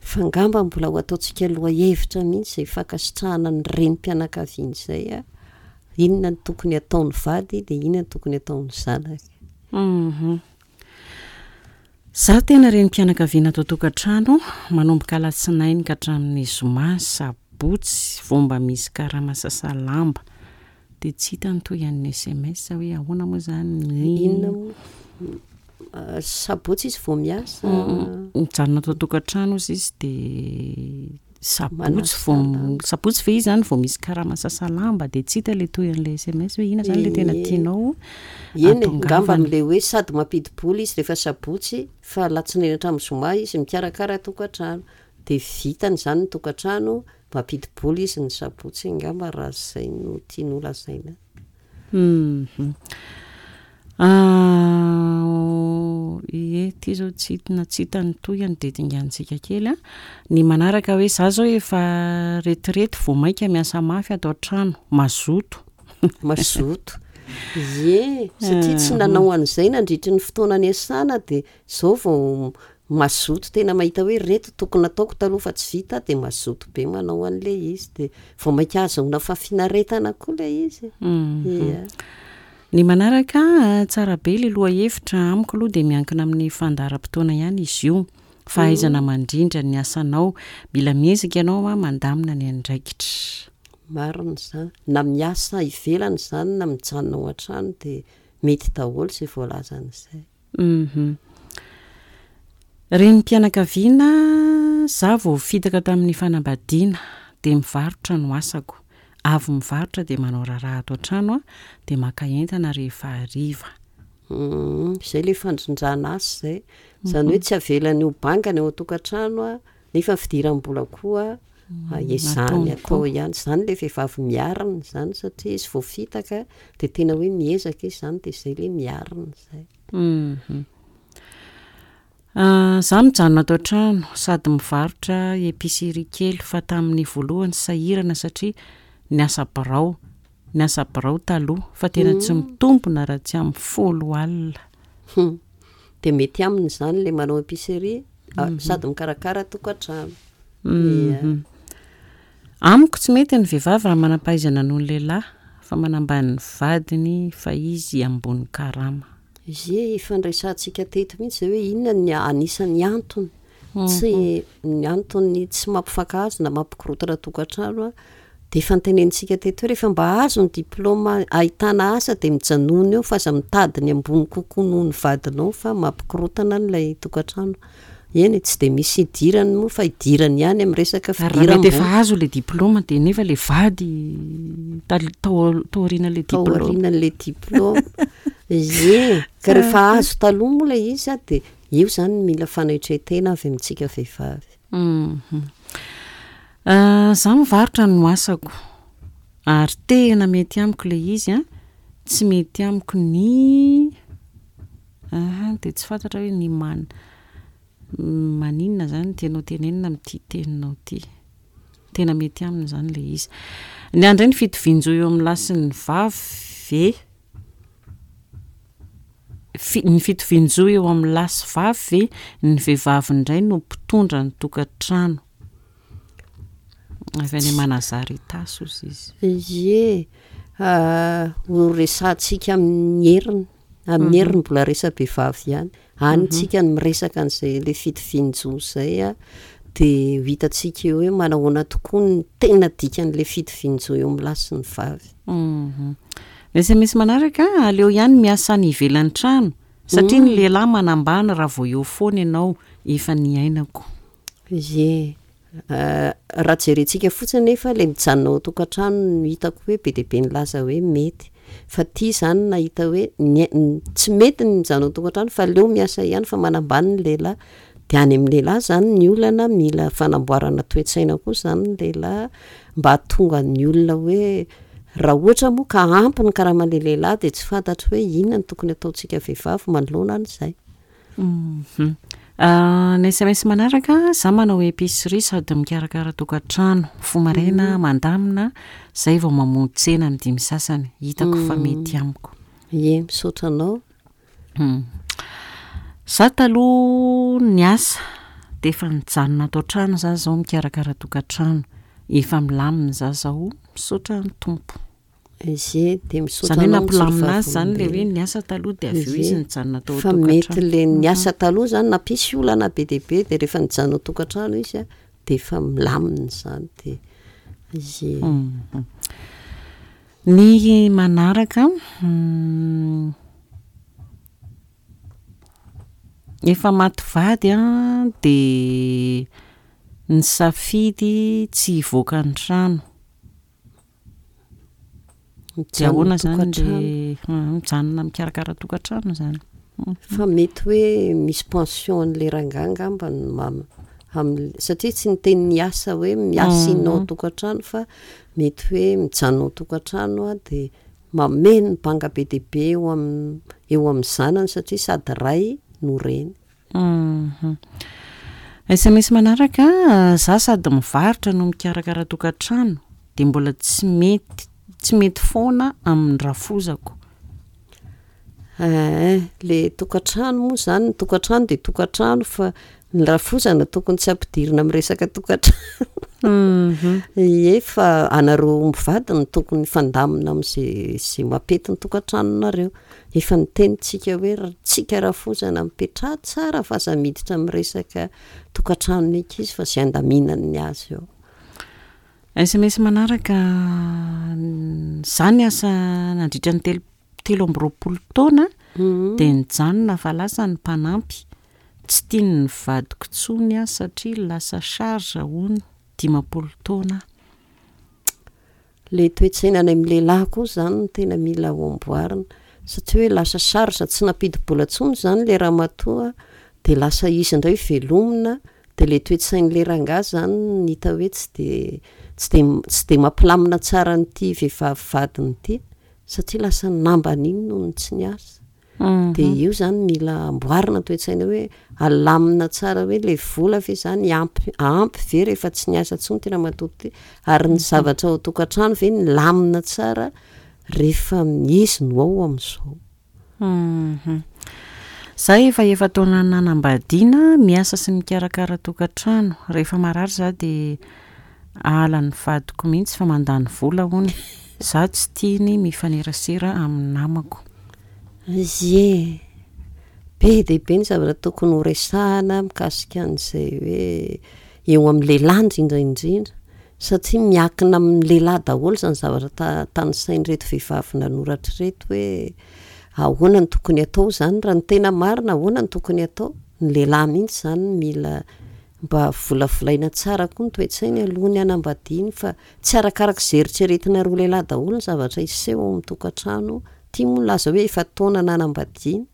Speaker 2: Fa angamba mbola ho ataontsika lohahevitra mihitsy izay fankasitrahana ny renim-pianakaviana izay a, inona no tokony hataon'ny vady dia inona no tokony hataon'ny zanaka.
Speaker 1: Hum. Za tena renim-pianakaviana ato an-tokantrano, manomboka alatsinainy ka hatramin'ny zoma, sabotsy vao mba misy karama sasa lamba. Dia tsy hita ny tohian'ny sms hoe ahoana moa izany ny.
Speaker 2: Inona moa? Sabotsy izy vao miasa?
Speaker 1: Mijanona ato an-tokantrano hozy izy dia Sabotsy vao, sabotsy ve izy zany vao misy karama sasa lamba dia tsy hita ilay tohin'ilay sms hoe inona zany ilay tena tianao
Speaker 2: Eny e, angamba amin'ilay hoe sady mampidi-bola izy rehefa sabotsy fa alatsinainy hatramin'ny zoma izy mikarakara tokantrano dia vitany izany ny tokantrano, mampidi-bola izy ny sabotsy angamba raha izay no tiany ho lazaina.
Speaker 1: Hum. Ie, ity zao tsy hita tsy hita ny tohiny dia dinganintsika kely an. Ny manaraka hoe za zao efa retirety vao mainka miasa mafy ato an-trano, mazoto.
Speaker 2: Mazoto. Ie, satria tsy nanao an'izay nandritry ny fotoana niasana dia Zao vao mazoto tena mahita hoe reto tokony nataoko taloha fa tsy vita dia mazoto be manao an'ilay izy dia vao mainka ahazoana fahafinaretana koa ilay izy e. Ia.
Speaker 1: Ny manaraka, tsara be ilay lohahevitra, amiko aloha dia miankina amin'ny fandaharam-potoana ihany izy io, fahaizana mandrindra ny asanao, mila miezaka ianao mandamina ny andraikitra.
Speaker 2: Marina izany, na miasa ivelany izany na mijanona ao an-trano dia mety daholo izay voalazany izay.
Speaker 1: Hum. Renim-pianakaviana, Za vao fitaka tamin'ny fanambadiana dia mivarotra no asako. Avy mivarotra dia manao raharaha ato an-trano aho dia maka entana rehefa hariva.
Speaker 2: Hum, izay ilay fandrindrana asa izay. Izany hoe tsy avelany ho banga ny ao an-tokantrano nefa ny fidiram-bola koa ezahany atao ihany. Izany ilay vehivavy miarina izany satria izy voafitaka dia tena hoe miezaka izy izany dia izay ilay miarina izay.
Speaker 1: Hum. Za mijanona ato an-trano sady mivarotra épicerie kely fa tamin'ny voalohany sahirana satria niasa birao, niasa birao taloha fa tena tsy mitombina raha tsy amin'ny folo alina.
Speaker 2: Hum. Dia mety aminy izany ilay manao épicerie sady mikarakara tokantrano. Ia.
Speaker 1: Amiko tsy mety ny vehivavy raha manam-pahaizana noho ny lehilahy fa manambany ny vadiny fa izy ambony karama.
Speaker 2: Ie, efa niresahantsika teto mihitsy izay hoe inona ny anisan'ny antony tsy ny antony tsy mampifankahazo na mampikorontana tokantrano an, dia efa notenenintsika teto hoe rehefa mba azo ny diplaoma ahitana asa dia mijanona eo fa aza mitady ny ambony kokoa noho ny vadinao fa mampikorontana an'ilay tokantrano. Eny e, tsy dia misy idirany moa fa idirany ihany amin'ny resaka
Speaker 1: Ary raha mety efa azo ilay diplaoma dia nefa ilay vady tal- tao tao aorianan'ilay
Speaker 2: Tao diplaoma. aorianan'ilay diplaoma. Ie, ka rehefa azo taloha moa ilay izy dia io izany mila fanetren-tena avy amintsika vehivavy.
Speaker 1: Mhm. Za mivarotra no asako ary tena mety amiko ilay izy an, tsy mety amiko ny Aha, dia tsy fantatra hoe ny man, maninona izany no tianao tenenina amin'ity teninao ity. Tena mety aminy izany ilay izy. Ny ahy indray ny fitovian-jo eo amin'ny lahy sy ny vavy ve? Fi- ny fitovian-jo eo amin'ny lahy sy vavy ve? Ny vehivavy indray no mpitondra ny tokantrano. Avy any Manazary Itasy hozy izy.
Speaker 2: Ie, ho resahantsika amin'ny heriny. Amin'ny heriny mbola resa-behivavy ihany. Any tsika no miresaka an'izay ilay fitovian-jo izay an, dia ho hitantsika eo hoe manahoana tokoa ny tena dikan'ilay fitovian-jo eo amin'ny lahy sy ny vavy.
Speaker 1: Ny sms manaraka, aleo ihany miasa any ivelan'ny trano satria ny lehilahy manambany raha vao eo foana ianao, efa niainako.
Speaker 2: Ie. Raha jerentsika fotsiny nefa ilay mijanona ao an-tokantrano no hitako hoe be dia be nilaza hoe mety. Fa ity izany nahita hoe ny tsy mety ny mijanona ao an-tokantrano fa aleo miasa ihany fa manambany ny lehilahy. Dia any amin'ny lehilahy izany ny olana, mila fanamboarana toe-tsaina koa izany ny lehilahy mba hahatonga ny olona hoe raha ohatra moa ka ampy ny karaman'ilay lehilahy dia tsy fantatro hoe inona no tokony hataontsika vehivavy manoloana an'izay.
Speaker 1: Ny sms manaraka, za manao épicerie sady mikarakara tokantrano, mifoha maraina mandamina, zay vao mamonjy tsena amin'ny dimy sasany, hitako fa mety amiko.
Speaker 2: Ie, misaotra anao.
Speaker 1: Za taloha niasa dia efa nijanona ato an-trano za zao mikarakara tokantrano, efa milamina za zao, misaotra ny Tompo.
Speaker 2: Ie, dia misaotra
Speaker 1: Izany hoe
Speaker 2: anao mijoro
Speaker 1: nampilamina azy izany ilay hoe
Speaker 2: vavolombelona.
Speaker 1: niasa taloha dia avy eo
Speaker 2: Ie,
Speaker 1: izy nijanona tao
Speaker 2: fa mety
Speaker 1: an-tokantrano.
Speaker 2: ilay niasa taloha izany nampisy olana be dia be dia rehefa nijanona ao an-tokantrano izy a, dia efa milamina izany dia ie.
Speaker 1: Ny manaraka, efa maty vady an, dia nisafidy tsy hivoaka ny trano. Dia ahoana izany le mijanona mikarakara tokantrano izany?
Speaker 2: Fa mety hoe misy pension an'ilay rangahy angamba no ma- am'l- satria tsy niteny niasa hoe miasa inona ao an-tokantrano fa mety hoe mijanona ao an-tokantrano aho dia mameno ny banga be dia be eo am- eo amin'ny zanany satria sady ray no reny.
Speaker 1: Sms manaraka, za sady mivarotra no mikarakara tokantrano dia mbola tsy mety tsy mety foana amin'ny rafozako.
Speaker 2: Eeh, le tokantrano moa zany, ny tokantrano dia tokantrano fa ny rafozana tokony tsy ampidirina amin'ny resaka tokantrano. Ie, fa anareo mivady no tokony hifandamina amin'izay izay mampety ny tokantranonareo. Efa niteny tsika hoe ry tsika rafozana mipetraha tsara fa aza miditra amin'ny resaka tokantranon'ny ankizy fa izay andaminany ny azy eo.
Speaker 1: Sms manaraka, Za niasa nandritra ny telo 23 taona dia nijanona fa lasa ny mpanampy, tsy tian'ny vadiko intsony aho satria lasa charge hono, 50 taona aho.
Speaker 2: Le toe-tsaina any amin'ny lehilahy koa izany no tena mila ho amboarina satria hoe lasa charge tsy nampidi-bola intsony izany ilay ramatoa dia lasa izy indray velomina dia ilay toe-tsain'ilay rangahy izany no hita hoe tsy dia tsy dia tsy dia mampilamina tsara an'ity vehivavy vadiny ity satria lasa nambany iny noho ny tsy niasa. Dia io izany mila amboarina ny toe-tsaina hoe alamina tsara hoe ilay vola ve izany ampy ampy ve rehefa tsy niasa intsony ity ramatoa ity ary ny zavatra ao an-tokantrano ve milamina tsara rehefa izy no ao amin'izao.
Speaker 1: Za efa efa-taona nanambadiana, miasa sy mikarakara tokantrano. Rehefa marary za dia ahalan'ny vadiko mihitsy fa mandany vola hono. Za tsy tiany mifanerasera amin'ny namako.
Speaker 2: Ie, be dia be ny zavatra tokony ho resahana mikasika an'izay hoe eo amin'ny lehilahy indrindra indrindra satria miankina amin'ny lehilahy daholo izany zavatra ta- tanisain'ireto vehivavy nanoratra ireto hoe ahoana no tokony hatao izany raha ny tena marina ahoana no tokony hatao? Ny lehilahy mihitsy izany no mila mba volavolaina tsara koa ny toe-tsainy alohan'ny hanambadiany fa tsy arakaraka izay eritreretinareo lehilahy daholo ny zavatra hiseho ao amin'ny tokantrano Ity moa nilaza hoe efa taona nanambadiana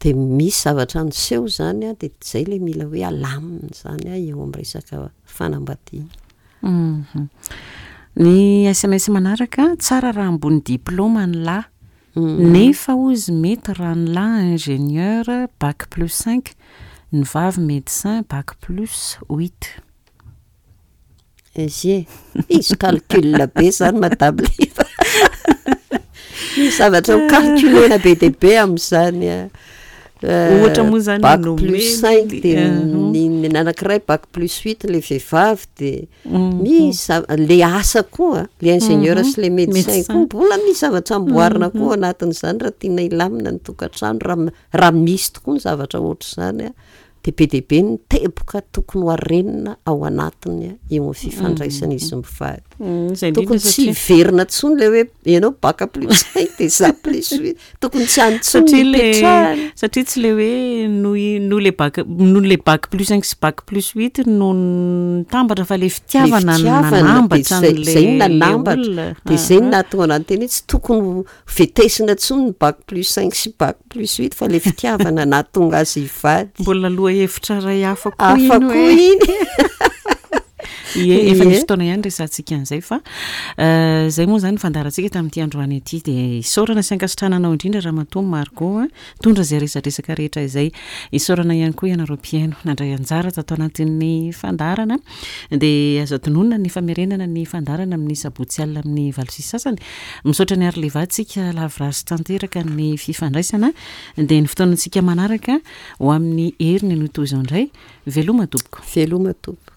Speaker 2: dia misy zavatra niseho izany an, dia izay ilay mila hoe alamina izany an eo amin'ny resaka fanambadiana.
Speaker 1: Ny sms manaraka, tsara raha ambony diplaoma ny lahy, nefa hozy mety raha ny lahy ingénieur bac plus cinq, ny vavy médecin bac plus huit.
Speaker 2: Izy e, misy calcul be zany madame Liva. Misy zavatra ho calculer-na be dia be amin'izany a.
Speaker 1: Ohatra moa zany
Speaker 2: Bac
Speaker 1: nomeny
Speaker 2: plus cinq dia
Speaker 1: ny-
Speaker 2: ny ny anankiray bac plus huit le vehivavy dia misy za- le asa koa, le ingénieur sy le médecin
Speaker 1: Médecin.
Speaker 2: koa mbola misy zavatra amboarina koa ao anatin'izany raha tiana hilamina ny tokantrano raha raha misy tokoa ny zavatra ohatr'izany a. Dia be dia be ny teboka tokony ho arenina ao anatiny eo amin'ny fifandraisan'izy mivady.
Speaker 1: Izay
Speaker 2: Tokony
Speaker 1: indrindra
Speaker 2: tsy
Speaker 1: satria
Speaker 2: hiverina intsony ilay hoe ianao bac plus cinq dia izaho plus huit. Tokony tsy any intsony
Speaker 1: Satria
Speaker 2: ny
Speaker 1: le
Speaker 2: hipetrahana.
Speaker 1: satria tsy le hoe noho i- noho le bac noho le bac plus cinq sy bac plus huit no nitambatra fa le
Speaker 2: Le
Speaker 1: fitiavana no
Speaker 2: fitiavana dia
Speaker 1: nanambatra
Speaker 2: zay
Speaker 1: an'le
Speaker 2: zay no
Speaker 1: le
Speaker 2: nanambatra.
Speaker 1: olona.
Speaker 2: Dia zay no
Speaker 1: Aha.
Speaker 2: nahatonga anah niteny hoe tsy tokony ho vetesina intsony ny bac plus cinq sy bac plus huit fa le fitiavana nahatonga azy hivady.
Speaker 1: Mbola lohahevitra iray hafa koa
Speaker 2: Hafa
Speaker 1: iny
Speaker 2: koa
Speaker 1: hoe.
Speaker 2: iny.
Speaker 1: Ie, efa nisy
Speaker 2: Ie.
Speaker 1: fotoana ihany resahantsika an'izay fa izay moa izany ny fandaharantsika tamin'ity androany ity dia isaorana sy ankasitrahana anao indrindra Ramatoa Margot a, nitondra izay resadresaka rehetra izay. Isaorana ihany koa ianareo mpihaino nandray anjara tato anatin'ny fandaharana. Dia azo adinoina ny famerenana ny fandaharana amin'ny sabotsy alina amin'ny 8h30. Misaotra an'i Arleva antsika lavorary tanteraka ny fifandraisana. Dia ny fotoanantsika manaraka ho amin'ny heriny no toy izao indray. Veloma tompoko.
Speaker 2: Veloma tompoko.